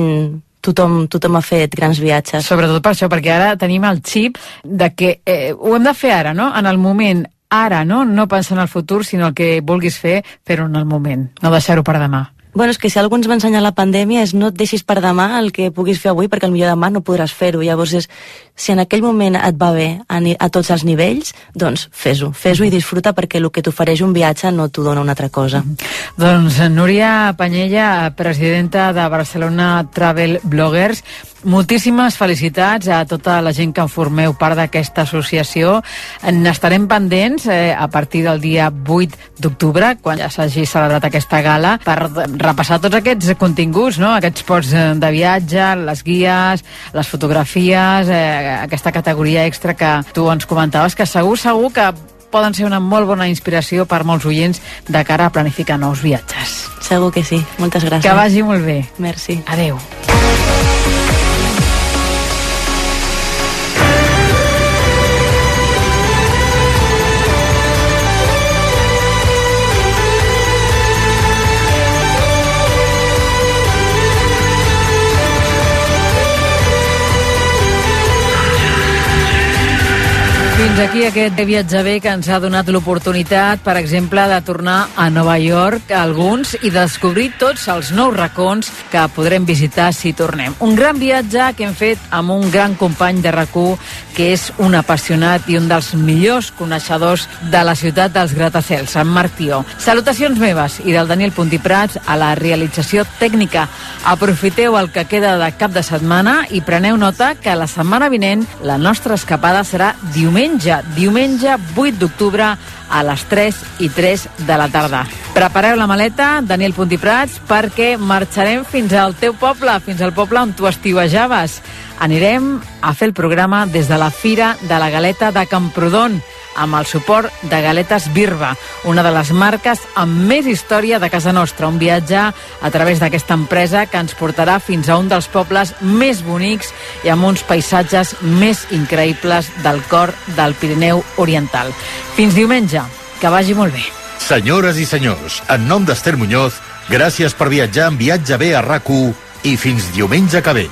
tothom, tothom ha fet grans viatges. Sobretot per això, perquè ara tenim el xip de que eh, ho hem de fer ara, no? En el moment, ara, no? No pensar en el futur, sinó el que vulguis fer, fer-ho en el moment, no deixar-ho per demà. Bueno, és que si algú ens va ensenyar la pandèmia és no et deixis per demà el que puguis fer avui, perquè potser demà no podràs fer-ho. Llavors, és, si en aquell moment et va bé a, a tots els nivells, doncs fes-ho, fes-ho i disfruta, perquè el que t'ofereix un viatge no t'ho dona una altra cosa. Doncs Núria Panyella, presidenta de Barcelona Travel Bloggers, moltíssimes felicitats a tota la gent que en formeu part d'aquesta associació. N'estarem pendents eh, a partir del dia vuit d'octubre, quan ja s'hagi celebrat aquesta gala, per repassar tots aquests continguts, no? Aquests posts de viatge, les guies, les fotografies, eh, aquesta categoria extra que tu ens comentaves, que segur, segur que poden ser una molt bona inspiració per molts oients de cara a planificar nous viatges. Segur que sí. Moltes gràcies. Que vagi molt bé. Merci. Adeu. Fins aquí aquest viatge bé que ens ha donat l'oportunitat, per exemple, de tornar a Nova York, alguns, i descobrir tots els nous racons que podrem visitar si tornem. Un gran viatge que hem fet amb un gran company de RAC u, que és un apassionat i un dels millors coneixedors de la ciutat dels gratacels, en Marc Tió. Salutacions meves i del Daniel Puntiprats a la realització tècnica. Aprofiteu el que queda de cap de setmana i preneu nota que la setmana vinent la nostra escapada serà diumenge, diumenge vuit d'octubre a les tres i tres de la tarda. Prepareu la maleta, Daniel Puntiprats, perquè marxarem fins al teu poble, fins al poble on tu estiuejaves. Anirem a fer el programa des de la Fira de la Galeta de Camprodon, amb el suport de Galetes Birba, una de les marques amb més història de casa nostra. Un viatge a través d'aquesta empresa que ens portarà fins a un dels pobles més bonics i amb uns paisatges més increïbles del cor del Pirineu Oriental. Fins diumenge, que vagi molt bé. Senyores i senyors, en nom d'Ester Muñoz, gràcies per viatjar en Viatge bé a RAC u i fins diumenge que ve.